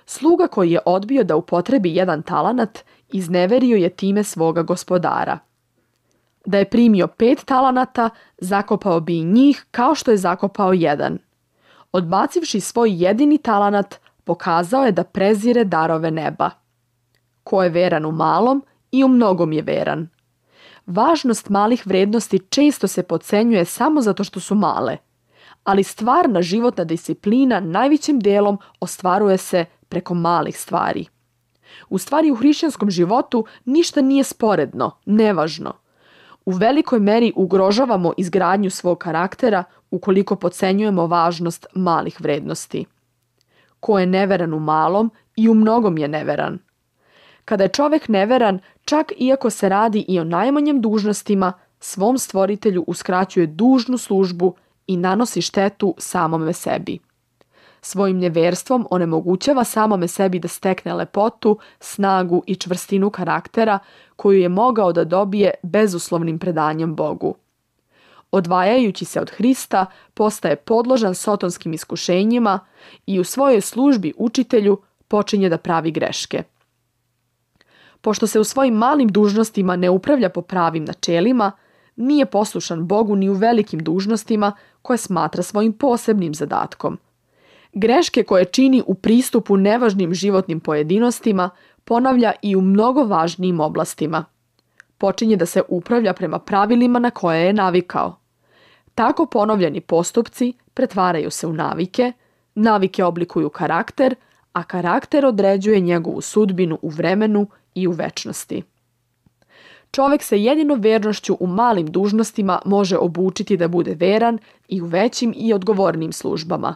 Sluga koji je odbio da upotrebi 1 talanat, izneverio je time svoga gospodara. Da je primio 5 talanata, zakopao bi i njih kao što je zakopao 1. Odbacivši svoj jedini talanat, pokazao je da prezire darove neba. Ko je veran u malom, i u mnogom je veran. Važnost malih vrednosti često se podcenjuje samo zato što su male, ali stvarna životna disciplina najvećim delom ostvaruje se preko malih stvari. U stvari u hrišćanskom životu ništa nije sporedno, nevažno. U velikoj meri ugrožavamo izgradnju svog karaktera ukoliko podcenjujemo važnost malih vrednosti. Ko je neveran u malom, i u mnogom je neveran. Kada je čovek neveran, čak iako se radi i o najmanjim dužnostima, svom stvoritelju uskraćuje dužnu službu i nanosi štetu samome sebi. Svojim nevjerstvom onemogućava samome sebi da stekne lepotu, snagu i čvrstinu karaktera koju je mogao da dobije bezuslovnim predanjem Bogu. Odvajajući se od Hrista, postaje podložan sotonskim iskušenjima i u svojoj službi učitelju počinje da pravi greške. Pošto se u svojim malim dužnostima ne upravlja po pravim načelima, nije poslušan Bogu ni u velikim dužnostima koje smatra svojim posebnim zadatkom. Greške koje čini u pristupu nevažnim životnim pojedinostima ponavlja i u mnogo važnijim oblastima. Počinje da se upravlja prema pravilima na koje je navikao. Tako ponovljeni postupci pretvaraju se u navike, navike oblikuju karakter, a karakter određuje njegovu sudbinu u vremenu i u večnosti. Čovjek se jedino vernošću u malim dužnostima može obučiti da bude veran i u većim i odgovornim službama.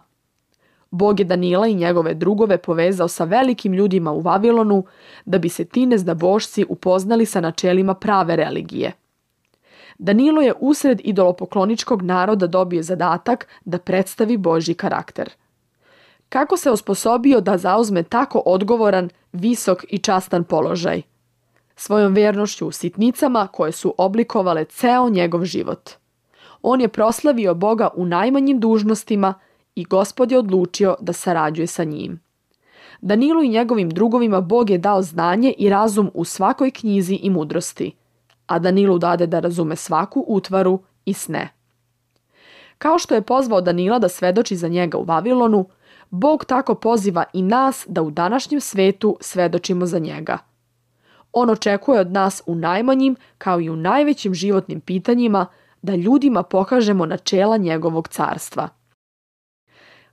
Bog je Danila i njegove drugove povezao sa velikim ljudima u Vavilonu da bi se ti nezdabošci upoznali sa načelima prave religije. Danilo je usred idolopokloničkog naroda dobio zadatak da predstavi Božji karakter. Kako se osposobio da zauzme tako odgovoran, visok i častan položaj? Svojom vjernošću u sitnicama koje su oblikovale ceo njegov život. On je proslavio Boga u najmanjim dužnostima i Gospod je odlučio da sarađuje sa njim. Danilu i njegovim drugovima Bog je dao znanje i razum u svakoj knjizi i mudrosti, a Danilu dade da razume svaku utvaru i sne. Kao što je pozvao Danila da svedoči za njega u Vavilonu, Bog tako poziva i nas da u današnjem svetu svedočimo za njega. On očekuje od nas u najmanjim kao i u najvećim životnim pitanjima da ljudima pokažemo načela njegovog carstva.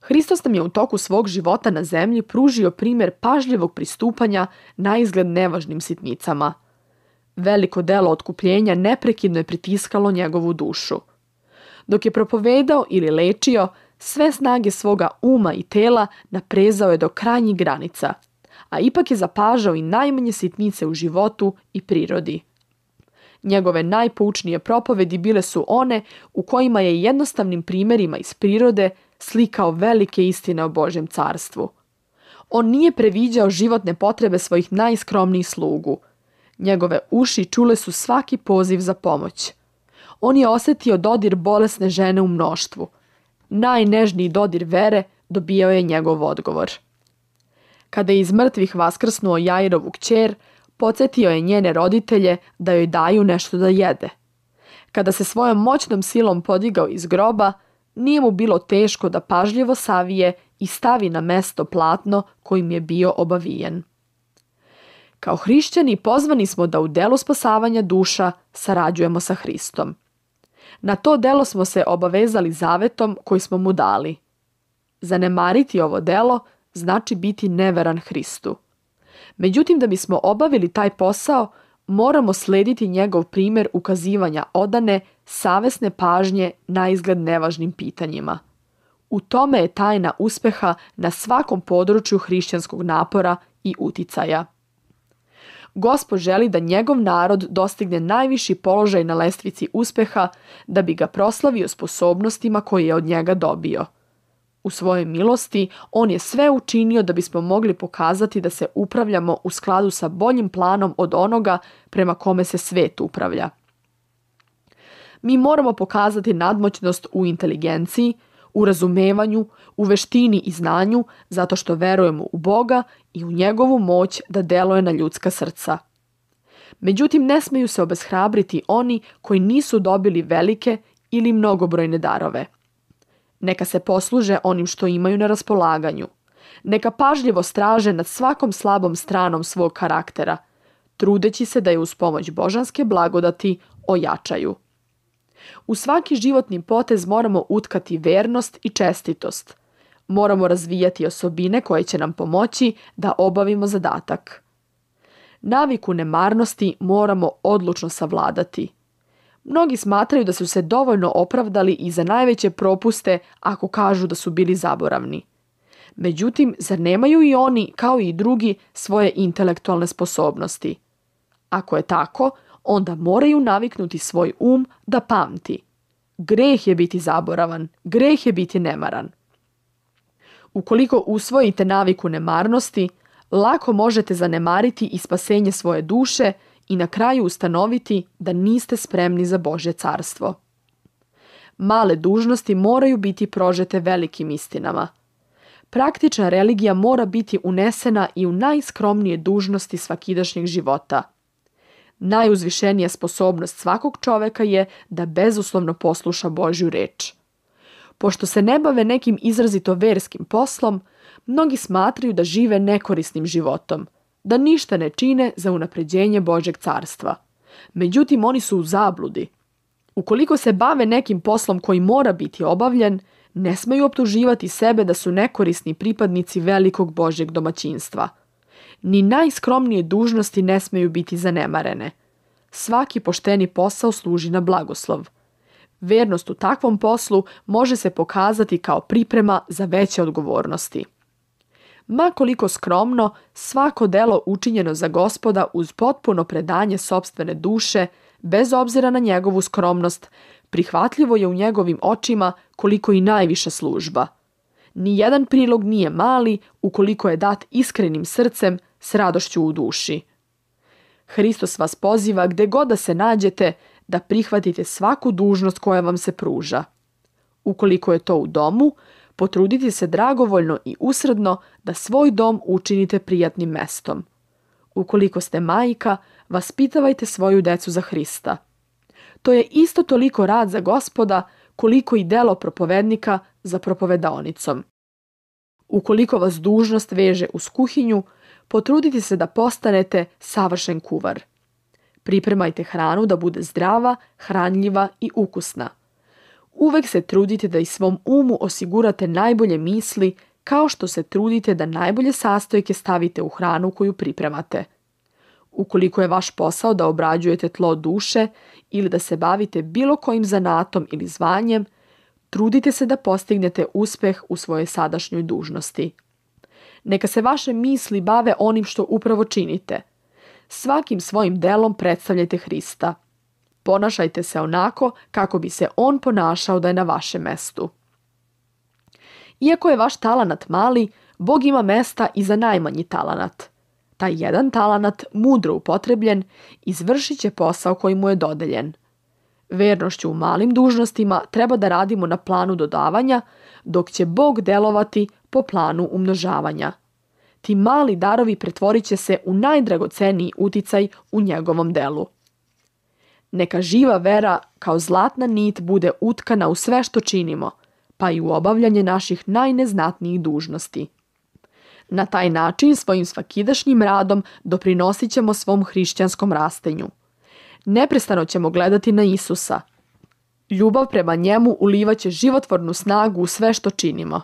Hristos nam je u toku svog života na zemlji pružio primjer pažljivog pristupanja naizgled nevažnim sitnicama. Veliko delo otkupljenja neprekidno je pritiskalo njegovu dušu. Dok je propovedao ili lečio, sve snage svoga uma i tela naprezao je do krajnjih granica, a ipak je zapažao i najmanje sitnice u životu i prirodi. Njegove najpoučnije propovedi bile su one u kojima je jednostavnim primjerima iz prirode slikao velike istine o Božjem carstvu. On nije previđao životne potrebe svojih najskromnijih slugu. Njegove uši čule su svaki poziv za pomoć. On je osjetio dodir bolesne žene u mnoštvu. Najnežniji dodir vere dobijao je njegov odgovor. Kada je iz mrtvih vaskrsnuo Jairovu kćer, podsjetio je njene roditelje da joj daju nešto da jede. Kada se svojom moćnom silom podigao iz groba, nije mu bilo teško da pažljivo savije i stavi na mesto platno kojim je bio obavijen. Kao hrišćani pozvani smo da u delu spasavanja duša sarađujemo sa Hristom. Na to delo smo se obavezali zavetom koji smo mu dali. Zanemariti ovo delo znači biti neveran Hristu. Međutim, da bismo obavili taj posao, moramo slediti njegov primjer ukazivanja odane, savesne pažnje naizgled nevažnim pitanjima. U tome je tajna uspjeha na svakom području hrišćanskog napora i uticaja. Gospod želi da njegov narod dostigne najviši položaj na lestvici uspjeha da bi ga proslavio sposobnostima koje je od njega dobio. U svojoj milosti on je sve učinio da bismo mogli pokazati da se upravljamo u skladu sa boljim planom od onoga prema kome se svet upravlja. Mi moramo pokazati nadmoćnost u inteligenciji, u razumevanju, u veštini i znanju zato što verujemo u Boga i u njegovu moć da deluje na ljudska srca. Međutim, ne smeju se obeshrabriti oni koji nisu dobili velike ili mnogobrojne darove. Neka se posluže onim što imaju na raspolaganju. Neka pažljivo straže nad svakom slabom stranom svog karaktera, trudeći se da je uz pomoć božanske blagodati ojačaju. U svaki životni potez moramo utkati vernost i čestitost. Moramo razvijati osobine koje će nam pomoći da obavimo zadatak. Naviku nemarnosti moramo odlučno savladati. Mnogi smatraju da su se dovoljno opravdali i za najveće propuste ako kažu da su bili zaboravni. Međutim, zar nemaju i oni, kao i drugi, svoje intelektualne sposobnosti? Ako je tako, onda moraju naviknuti svoj um da pamti. Greh je biti zaboravan, greh je biti nemaran. Ukoliko usvojite naviku nemarnosti, lako možete zanemariti i spasenje svoje duše i na kraju ustanoviti da niste spremni za Božje carstvo. Male dužnosti moraju biti prožete velikim istinama. Praktična religija mora biti unesena i u najskromnije dužnosti svakidašnjeg života. Najuzvišenija sposobnost svakog čoveka je da bezuslovno posluša Božju reč. Pošto se ne bave nekim izrazito verskim poslom, mnogi smatraju da žive nekorisnim životom, da ništa ne čine za unapređenje Božjeg carstva. Međutim, oni su u zabludi. Ukoliko se bave nekim poslom koji mora biti obavljen, ne smeju optuživati sebe da su nekorisni pripadnici velikog Božjeg domaćinstva. Ni najskromnije dužnosti ne smeju biti zanemarene. Svaki pošteni posao služi na blagoslov. Vernost u takvom poslu može se pokazati kao priprema za veće odgovornosti. Ma koliko skromno, svako delo učinjeno za Gospoda uz potpuno predanje sopstvene duše, bez obzira na njegovu skromnost, prihvatljivo je u njegovim očima koliko i najviša služba. Nijedan prilog nije mali ukoliko je dat iskrenim srcem s radošću u duši. Hristos vas poziva gde god da se nađete da prihvatite svaku dužnost koja vam se pruža. Ukoliko je to u domu, potrudite se dragovoljno i usredno da svoj dom učinite prijatnim mestom. Ukoliko ste majka, vaspitavajte svoju decu za Hrista. To je isto toliko rad za Gospoda koliko i delo propovednika za propovedaonicom. Ukoliko vas dužnost veže uz kuhinju, potrudite se da postanete savršen kuvar. Pripremajte hranu da bude zdrava, hranljiva i ukusna. Uvek se trudite da i svom umu osigurate najbolje misli, kao što se trudite da najbolje sastojke stavite u hranu koju pripremate. Ukoliko je vaš posao da obrađujete tlo duše ili da se bavite bilo kojim zanatom ili zvanjem, trudite se da postignete uspeh u svojoj sadašnjoj dužnosti. Neka se vaše misli bave onim što upravo činite. Svakim svojim delom predstavljajte Hrista. Ponašajte se onako kako bi se on ponašao da je na vašem mestu. Iako je vaš talanat mali, Bog ima mesta i za najmanji talanat. Taj jedan talanat, mudro upotrebljen, izvršit će posao koji mu je dodeljen. Vernošću u malim dužnostima treba da radimo na planu dodavanja, dok će Bog delovati po planu umnožavanja. Ti mali darovi pretvorit će se u najdragoceniji uticaj u njegovom delu. Neka živa vera kao zlatna nit bude utkana u sve što činimo, pa i u obavljanje naših najneznatnijih dužnosti. Na taj način svojim svakidašnjim radom doprinosit ćemo svom hrišćanskom rastenju. Neprestano ćemo gledati na Isusa. Ljubav prema njemu ulivaće životvornu snagu u sve što činimo.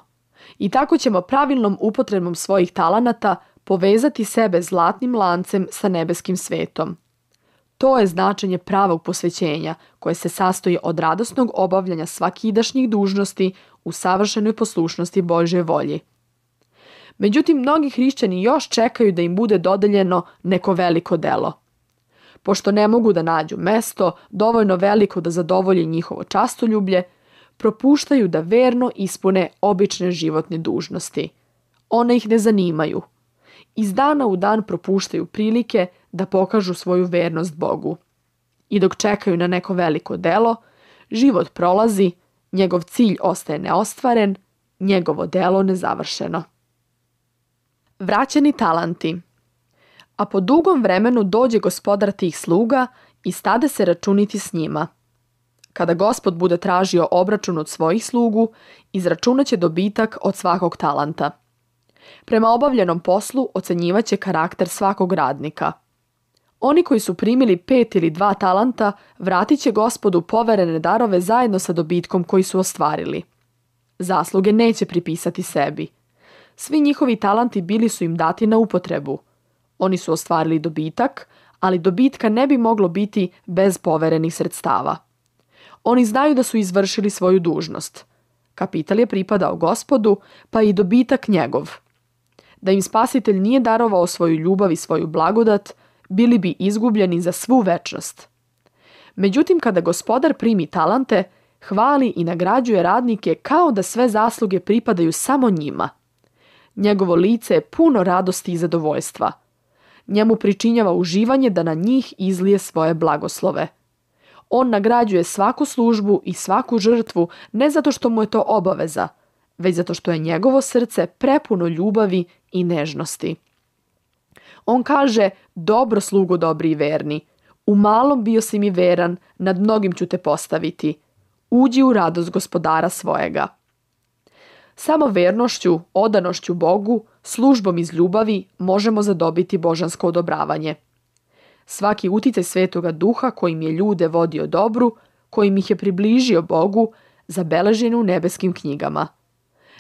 I tako ćemo pravilnom upotrebom svojih talanata povezati sebe zlatnim lancem sa nebeskim svetom. To je značenje pravog posvećenja, koje se sastoji od radosnog obavljanja svakidašnjih dužnosti u savršenoj poslušnosti Božje volji. Međutim, mnogi hrišćani još čekaju da im bude dodeljeno neko veliko delo. Pošto ne mogu da nađu mesto dovoljno veliko da zadovolji njihovo častoljublje, propuštaju da verno ispune obične životne dužnosti. One ih ne zanimaju. Iz dana u dan propuštaju prilike da pokažu svoju vernost Bogu. I dok čekaju na neko veliko delo, život prolazi, njegov cilj ostaje neostvaren, njegovo delo nezavršeno. Vraćeni talanti. A po dugom vremenu dođe gospodar tih sluga i stade se računiti s njima. Kada Gospod bude tražio obračun od svojih slugu, izračunaće dobitak od svakog talanta. Prema obavljenom poslu ocenjivaće karakter svakog radnika. Oni koji su primili 5 ili 2 talanta vratit će Gospodu poverene darove zajedno sa dobitkom koji su ostvarili. Zasluge neće pripisati sebi. Svi njihovi talanti bili su im dati na upotrebu. Oni su ostvarili dobitak, ali dobitka ne bi moglo biti bez poverenih sredstava. Oni znaju da su izvršili svoju dužnost. Kapital je pripadao Gospodu, pa i dobitak njegov. Da im Spasitelj nije darovao svoju ljubav i svoju blagodat, bili bi izgubljeni za svu večnost. Međutim, kada gospodar primi talante, hvali i nagrađuje radnike kao da sve zasluge pripadaju samo njima. Njegovo lice je puno radosti i zadovoljstva. Njemu pričinjava uživanje da na njih izlije svoje blagoslove. On nagrađuje svaku službu i svaku žrtvu ne zato što mu je to obaveza, već zato što je njegovo srce prepuno ljubavi i nežnosti. On kaže: dobro slugo dobri i verni, u malom bio si mi veran, nad mnogim ću te postaviti. Uđi u radost gospodara svojega. Samo vernošću, odanošću Bogu, službom iz ljubavi možemo zadobiti božansko odobravanje. Svaki uticaj Svetoga Duha kojim je ljude vodio dobru, kojim ih je približio Bogu, zabeležen u nebeskim knjigama.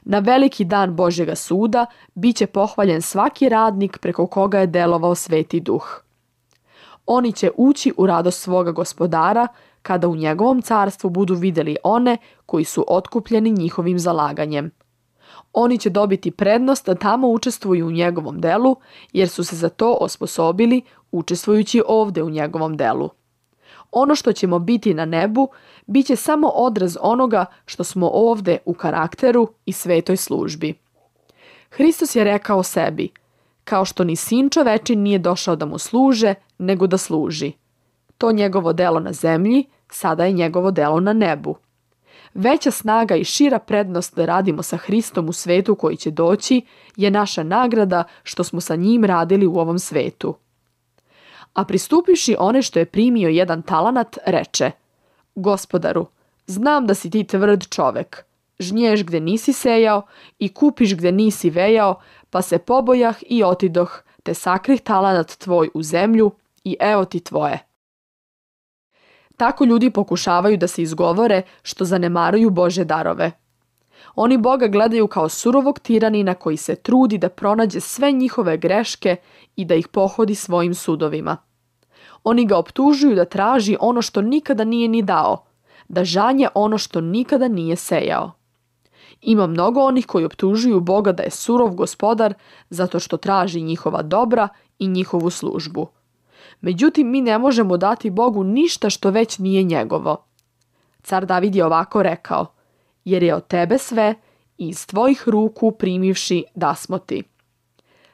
Na veliki dan Božjega suda bit će pohvaljen svaki radnik preko koga je delovao Sveti Duh. Oni će ući u radost svoga gospodara kada u njegovom carstvu budu vidjeli one koji su otkupljeni njihovim zalaganjem. Oni će dobiti prednost da tamo učestvuju u njegovom delu, jer su se za to osposobili učestvujući ovdje u njegovom delu. Ono što ćemo biti na nebu, bit će samo odraz onoga što smo ovdje u karakteru i svetoj službi. Hristos je rekao sebi: kao što ni sin čovečin nije došao da mu služe, nego da služi. To njegovo delo na zemlji, sada je njegovo delo na nebu. Veća snaga i šira prednost da radimo sa Hristom u svetu koji će doći je naša nagrada što smo sa njim radili u ovom svetu. A pristupivši one što je primio 1 talanat, reče: Gospodaru, znam da si ti tvrd čovek. Žnješ gde nisi sejao i kupiš gde nisi vejao, pa se pobojah i otidoh, te sakrih talanat tvoj u zemlju i evo ti tvoje. Tako ljudi pokušavaju da se izgovore što zanemaruju Božje darove. Oni Boga gledaju kao surovog tiranina koji se trudi da pronađe sve njihove greške i da ih pohodi svojim sudovima. Oni ga optužuju da traži ono što nikada nije ni dao, da žanje ono što nikada nije sejao. Ima mnogo onih koji optužuju Boga da je surov gospodar zato što traži njihova dobra i njihovu službu. Međutim, mi ne možemo dati Bogu ništa što već nije njegovo. Car David je ovako rekao: jer je od tebe sve i iz tvojih ruku primivši dasmo ti.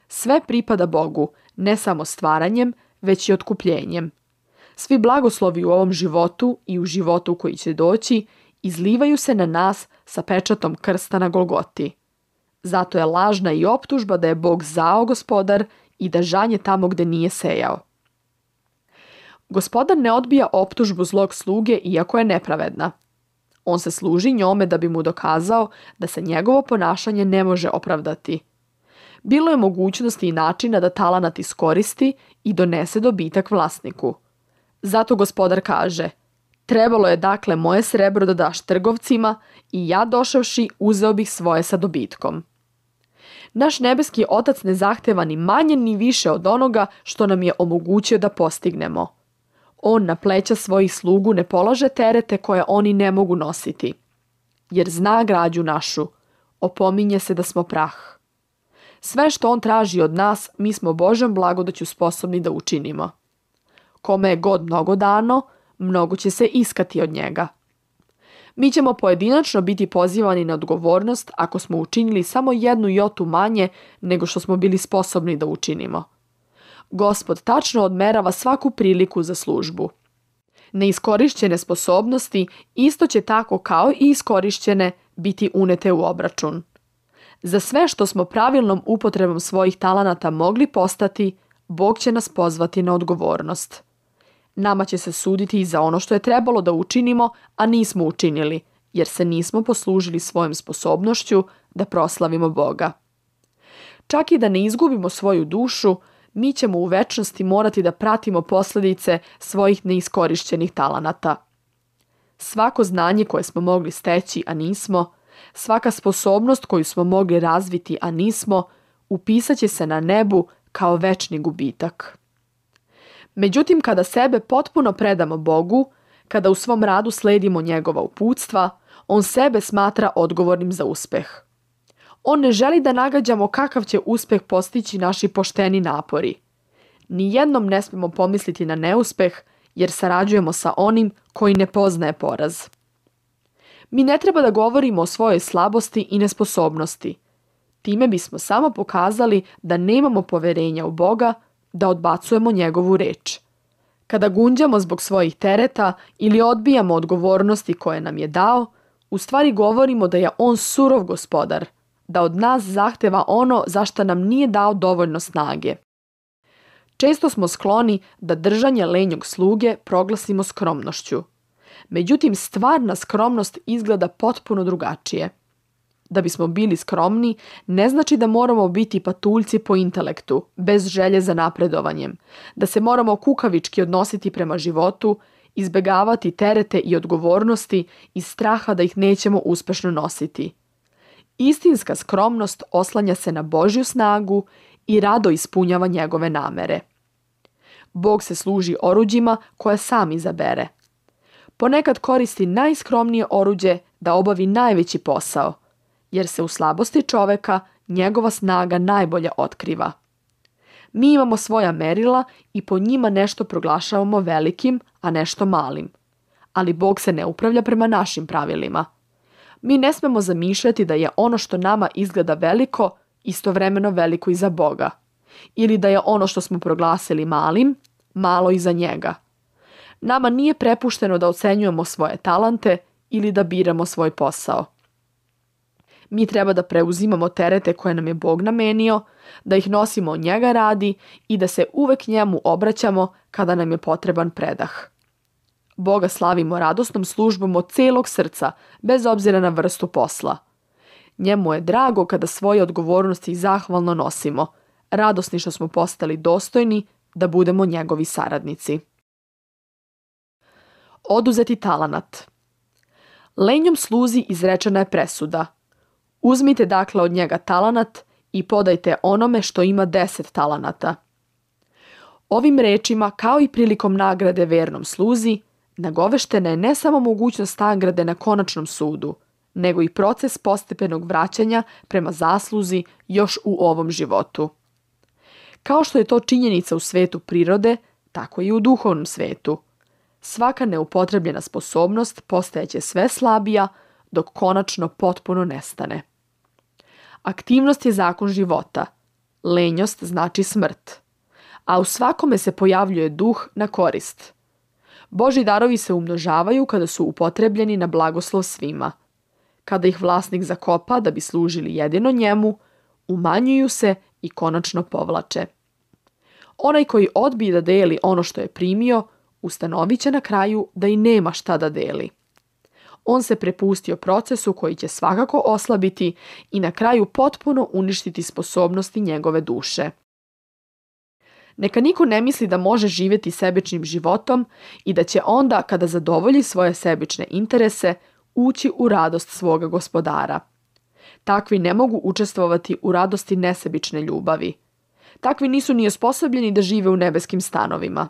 Sve pripada Bogu, ne samo stvaranjem, već i otkupljenjem. Svi blagoslovi u ovom životu i u životu koji će doći izlivaju se na nas sa pečatom krsta na Golgoti. Zato je lažna i optužba da je Bog zao gospodar i da žanje tamo gde nije sejao. Gospodar ne odbija optužbu zlog sluge iako je nepravedna. On se služi njome da bi mu dokazao da se njegovo ponašanje ne može opravdati. Bilo je mogućnosti i načina da talanat iskoristi i donese dobitak vlasniku. Zato gospodar kaže: trebalo je dakle moje srebro da daš trgovcima i ja došavši uzeo bih svoje sa dobitkom. Naš nebeski Otac ne zahteva ni manje ni više od onoga što nam je omogućio da postignemo. On na pleća svojih slugu ne polaže terete koje oni ne mogu nositi. Jer zna građu našu, opominje se da smo prah. Sve što on traži od nas, mi smo Božjom blagodaću sposobni da učinimo. Kome je god mnogo dano, mnogo će se iskati od njega. Mi ćemo pojedinačno biti pozivani na odgovornost ako smo učinili samo 1 jotu manje nego što smo bili sposobni da učinimo. Gospod tačno odmerava svaku priliku za službu. Neiskorišćene sposobnosti isto će tako kao i iskorišćene biti unete u obračun. Za sve što smo pravilnom upotrebom svojih talanata mogli postati, Bog će nas pozvati na odgovornost. Nama će se suditi i za ono što je trebalo da učinimo, a nismo učinili, jer se nismo poslužili svojom sposobnošću da proslavimo Boga. Čak i da ne izgubimo svoju dušu, mi ćemo u večnosti morati da pratimo posljedice svojih neiskorišćenih talanata. Svako znanje koje smo mogli steći, a nismo, svaka sposobnost koju smo mogli razviti, a nismo, upisat će se na nebu kao večni gubitak. Međutim, kada sebe potpuno predamo Bogu, kada u svom radu sledimo njegova uputstva, on sebe smatra odgovornim za uspeh. On ne želi da nagađamo kakav će uspeh postići naši pošteni napori. Nijednom ne smemo pomisliti na neuspeh, jer sarađujemo sa onim koji ne poznaje poraz. Mi ne treba da govorimo o svojoj slabosti i nesposobnosti. Time bismo samo pokazali da nemamo poverenja u Boga, da odbacujemo njegovu reč. Kada gunđamo zbog svojih tereta ili odbijamo odgovornosti koje nam je dao, u stvari govorimo da je on surov gospodar, da od nas zahteva ono za što nam nije dao dovoljno snage. Često smo skloni da držanje lenjog sluge proglasimo skromnošću. Međutim, stvarna skromnost izgleda potpuno drugačije. Da bismo bili skromni, ne znači da moramo biti patuljci po intelektu, bez želje za napredovanjem, da se moramo kukavički odnositi prema životu, izbegavati terete i odgovornosti iz straha da ih nećemo uspešno nositi. Istinska skromnost oslanja se na Božju snagu i rado ispunjava njegove namere. Bog se služi oruđima koje sam izabere. Ponekad koristi najskromnije oruđe da obavi najveći posao, jer se u slabosti čoveka njegova snaga najbolje otkriva. Mi imamo svoja merila i po njima nešto proglašavamo velikim, a nešto malim. Ali Bog se ne upravlja prema našim pravilima. Mi ne smemo zamišljati da je ono što nama izgleda veliko, istovremeno veliko i za Boga. Ili da je ono što smo proglasili malim, malo i za njega. Nama nije prepušteno da ocenjujemo svoje talente ili da biramo svoj posao. Mi treba da preuzimamo terete koje nam je Bog namenio, da ih nosimo od njega radi i da se uvek njemu obraćamo kada nam je potreban predah. Boga slavimo radosnom službom od celog srca, bez obzira na vrstu posla. Njemu je drago kada svoje odgovornosti zahvalno nosimo, radosni što smo postali dostojni da budemo njegovi saradnici. Oduzeti talenat. Lenjom sluzi izrečena je presuda. Uzmite dakle od njega talenat i podajte onome što ima 10 talenata. Ovim rečima, kao i prilikom nagrade vernom sluzi, nagoveštena je ne samo mogućnost nagrade na konačnom sudu, nego i proces postepenog vraćanja prema zasluzi još u ovom životu. Kao što je to činjenica u svetu prirode, tako i u duhovnom svetu. Svaka neupotrebljena sposobnost postajeće sve slabija dok konačno potpuno nestane. Aktivnost je zakon života, lenjost znači smrt, a u svakome se pojavljuje duh na korist. Božji darovi se umnožavaju kada su upotrebljeni na blagoslov svima. Kada ih vlasnik zakopa da bi služili jedino njemu, umanjuju se i konačno povlače. Onaj koji odbije da deli ono što je primio, ustanovit će na kraju da i nema šta da deli. On se prepustio procesu koji će svakako oslabiti i na kraju potpuno uništiti sposobnosti njegove duše. Neka niko ne misli da može živjeti sebičnim životom i da će onda, kada zadovolji svoje sebične interese, ući u radost svoga gospodara. Takvi ne mogu učestvovati u radosti nesebične ljubavi. Takvi nisu ni osposobljeni da žive u nebeskim stanovima.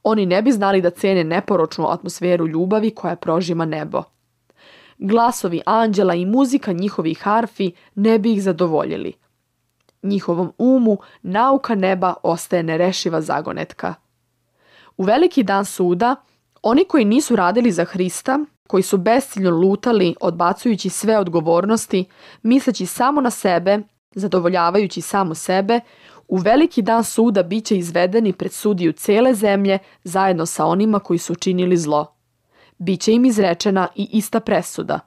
Oni ne bi znali da cene neporočnu atmosferu ljubavi koja prožima nebo. Glasovi anđela i muzika njihovih harfi ne bi ih zadovoljili. Njihovom umu nauka neba ostaje nerešiva zagonetka. U veliki dan suda, oni koji nisu radili za Hrista, koji su besciljno lutali odbacujući sve odgovornosti, misleći samo na sebe, zadovoljavajući samo sebe, u veliki dan suda bit će izvedeni pred sudiju cele zemlje zajedno sa onima koji su činili zlo. Biće im izrečena i ista presuda.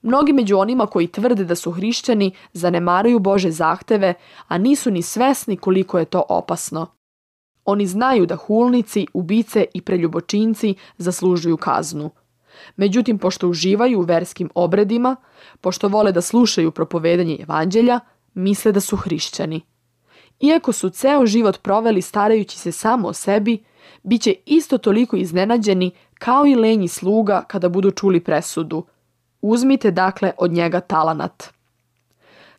Mnogi među onima koji tvrde da su hrišćani zanemaruju Bože zahteve, a nisu ni svesni koliko je to opasno. Oni znaju da hulnici, ubice i preljubočinci zaslužuju kaznu. Međutim, pošto uživaju u verskim obredima, pošto vole da slušaju propovedanje evanđelja, misle da su hrišćani. Iako su ceo život proveli starajući se samo o sebi, bit će isto toliko iznenađeni kao i lenji sluga kada budu čuli presudu. Uzmite dakle od njega talenat.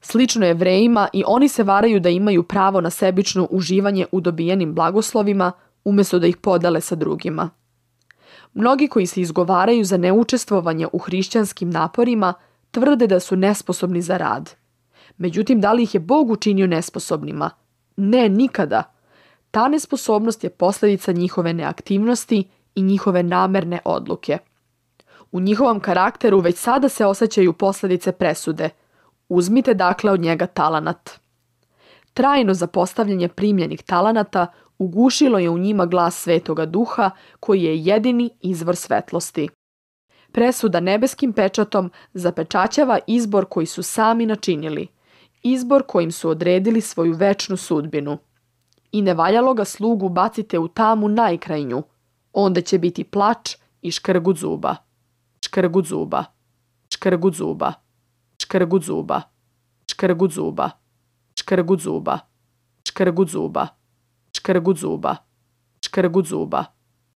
Slično Jevrejima, i oni se varaju da imaju pravo na sebično uživanje u dobijenim blagoslovima, umjesto da ih podele sa drugima. Mnogi koji se izgovaraju za neučestvovanje u hrišćanskim naporima tvrde da su nesposobni za rad. Međutim, da li ih je Bog učinio nesposobnima? Ne, nikada. Ta nesposobnost je posljedica njihove neaktivnosti i njihove namerne odluke. U njihovom karakteru već sada se osjećaju posljedice presude. Uzmite dakle od njega talanat. Trajno zapostavljanje primljenih talanata ugušilo je u njima glas Svetoga Duha, koji je jedini izvor svetlosti. Presuda nebeskim pečatom zapečaćava izbor koji su sami načinili, izbor kojim su odredili svoju večnu sudbinu. I nevaljalo ga slugu bacite u tamu najkrajnju, onda će biti plač i škrgut zuba. Škrgut zuba. Škrgut zuba. Škrgut zuba. Škrgut zuba. Škrgut zuba. Škrgut zuba. Škrgut zuba. Škrgut zuba.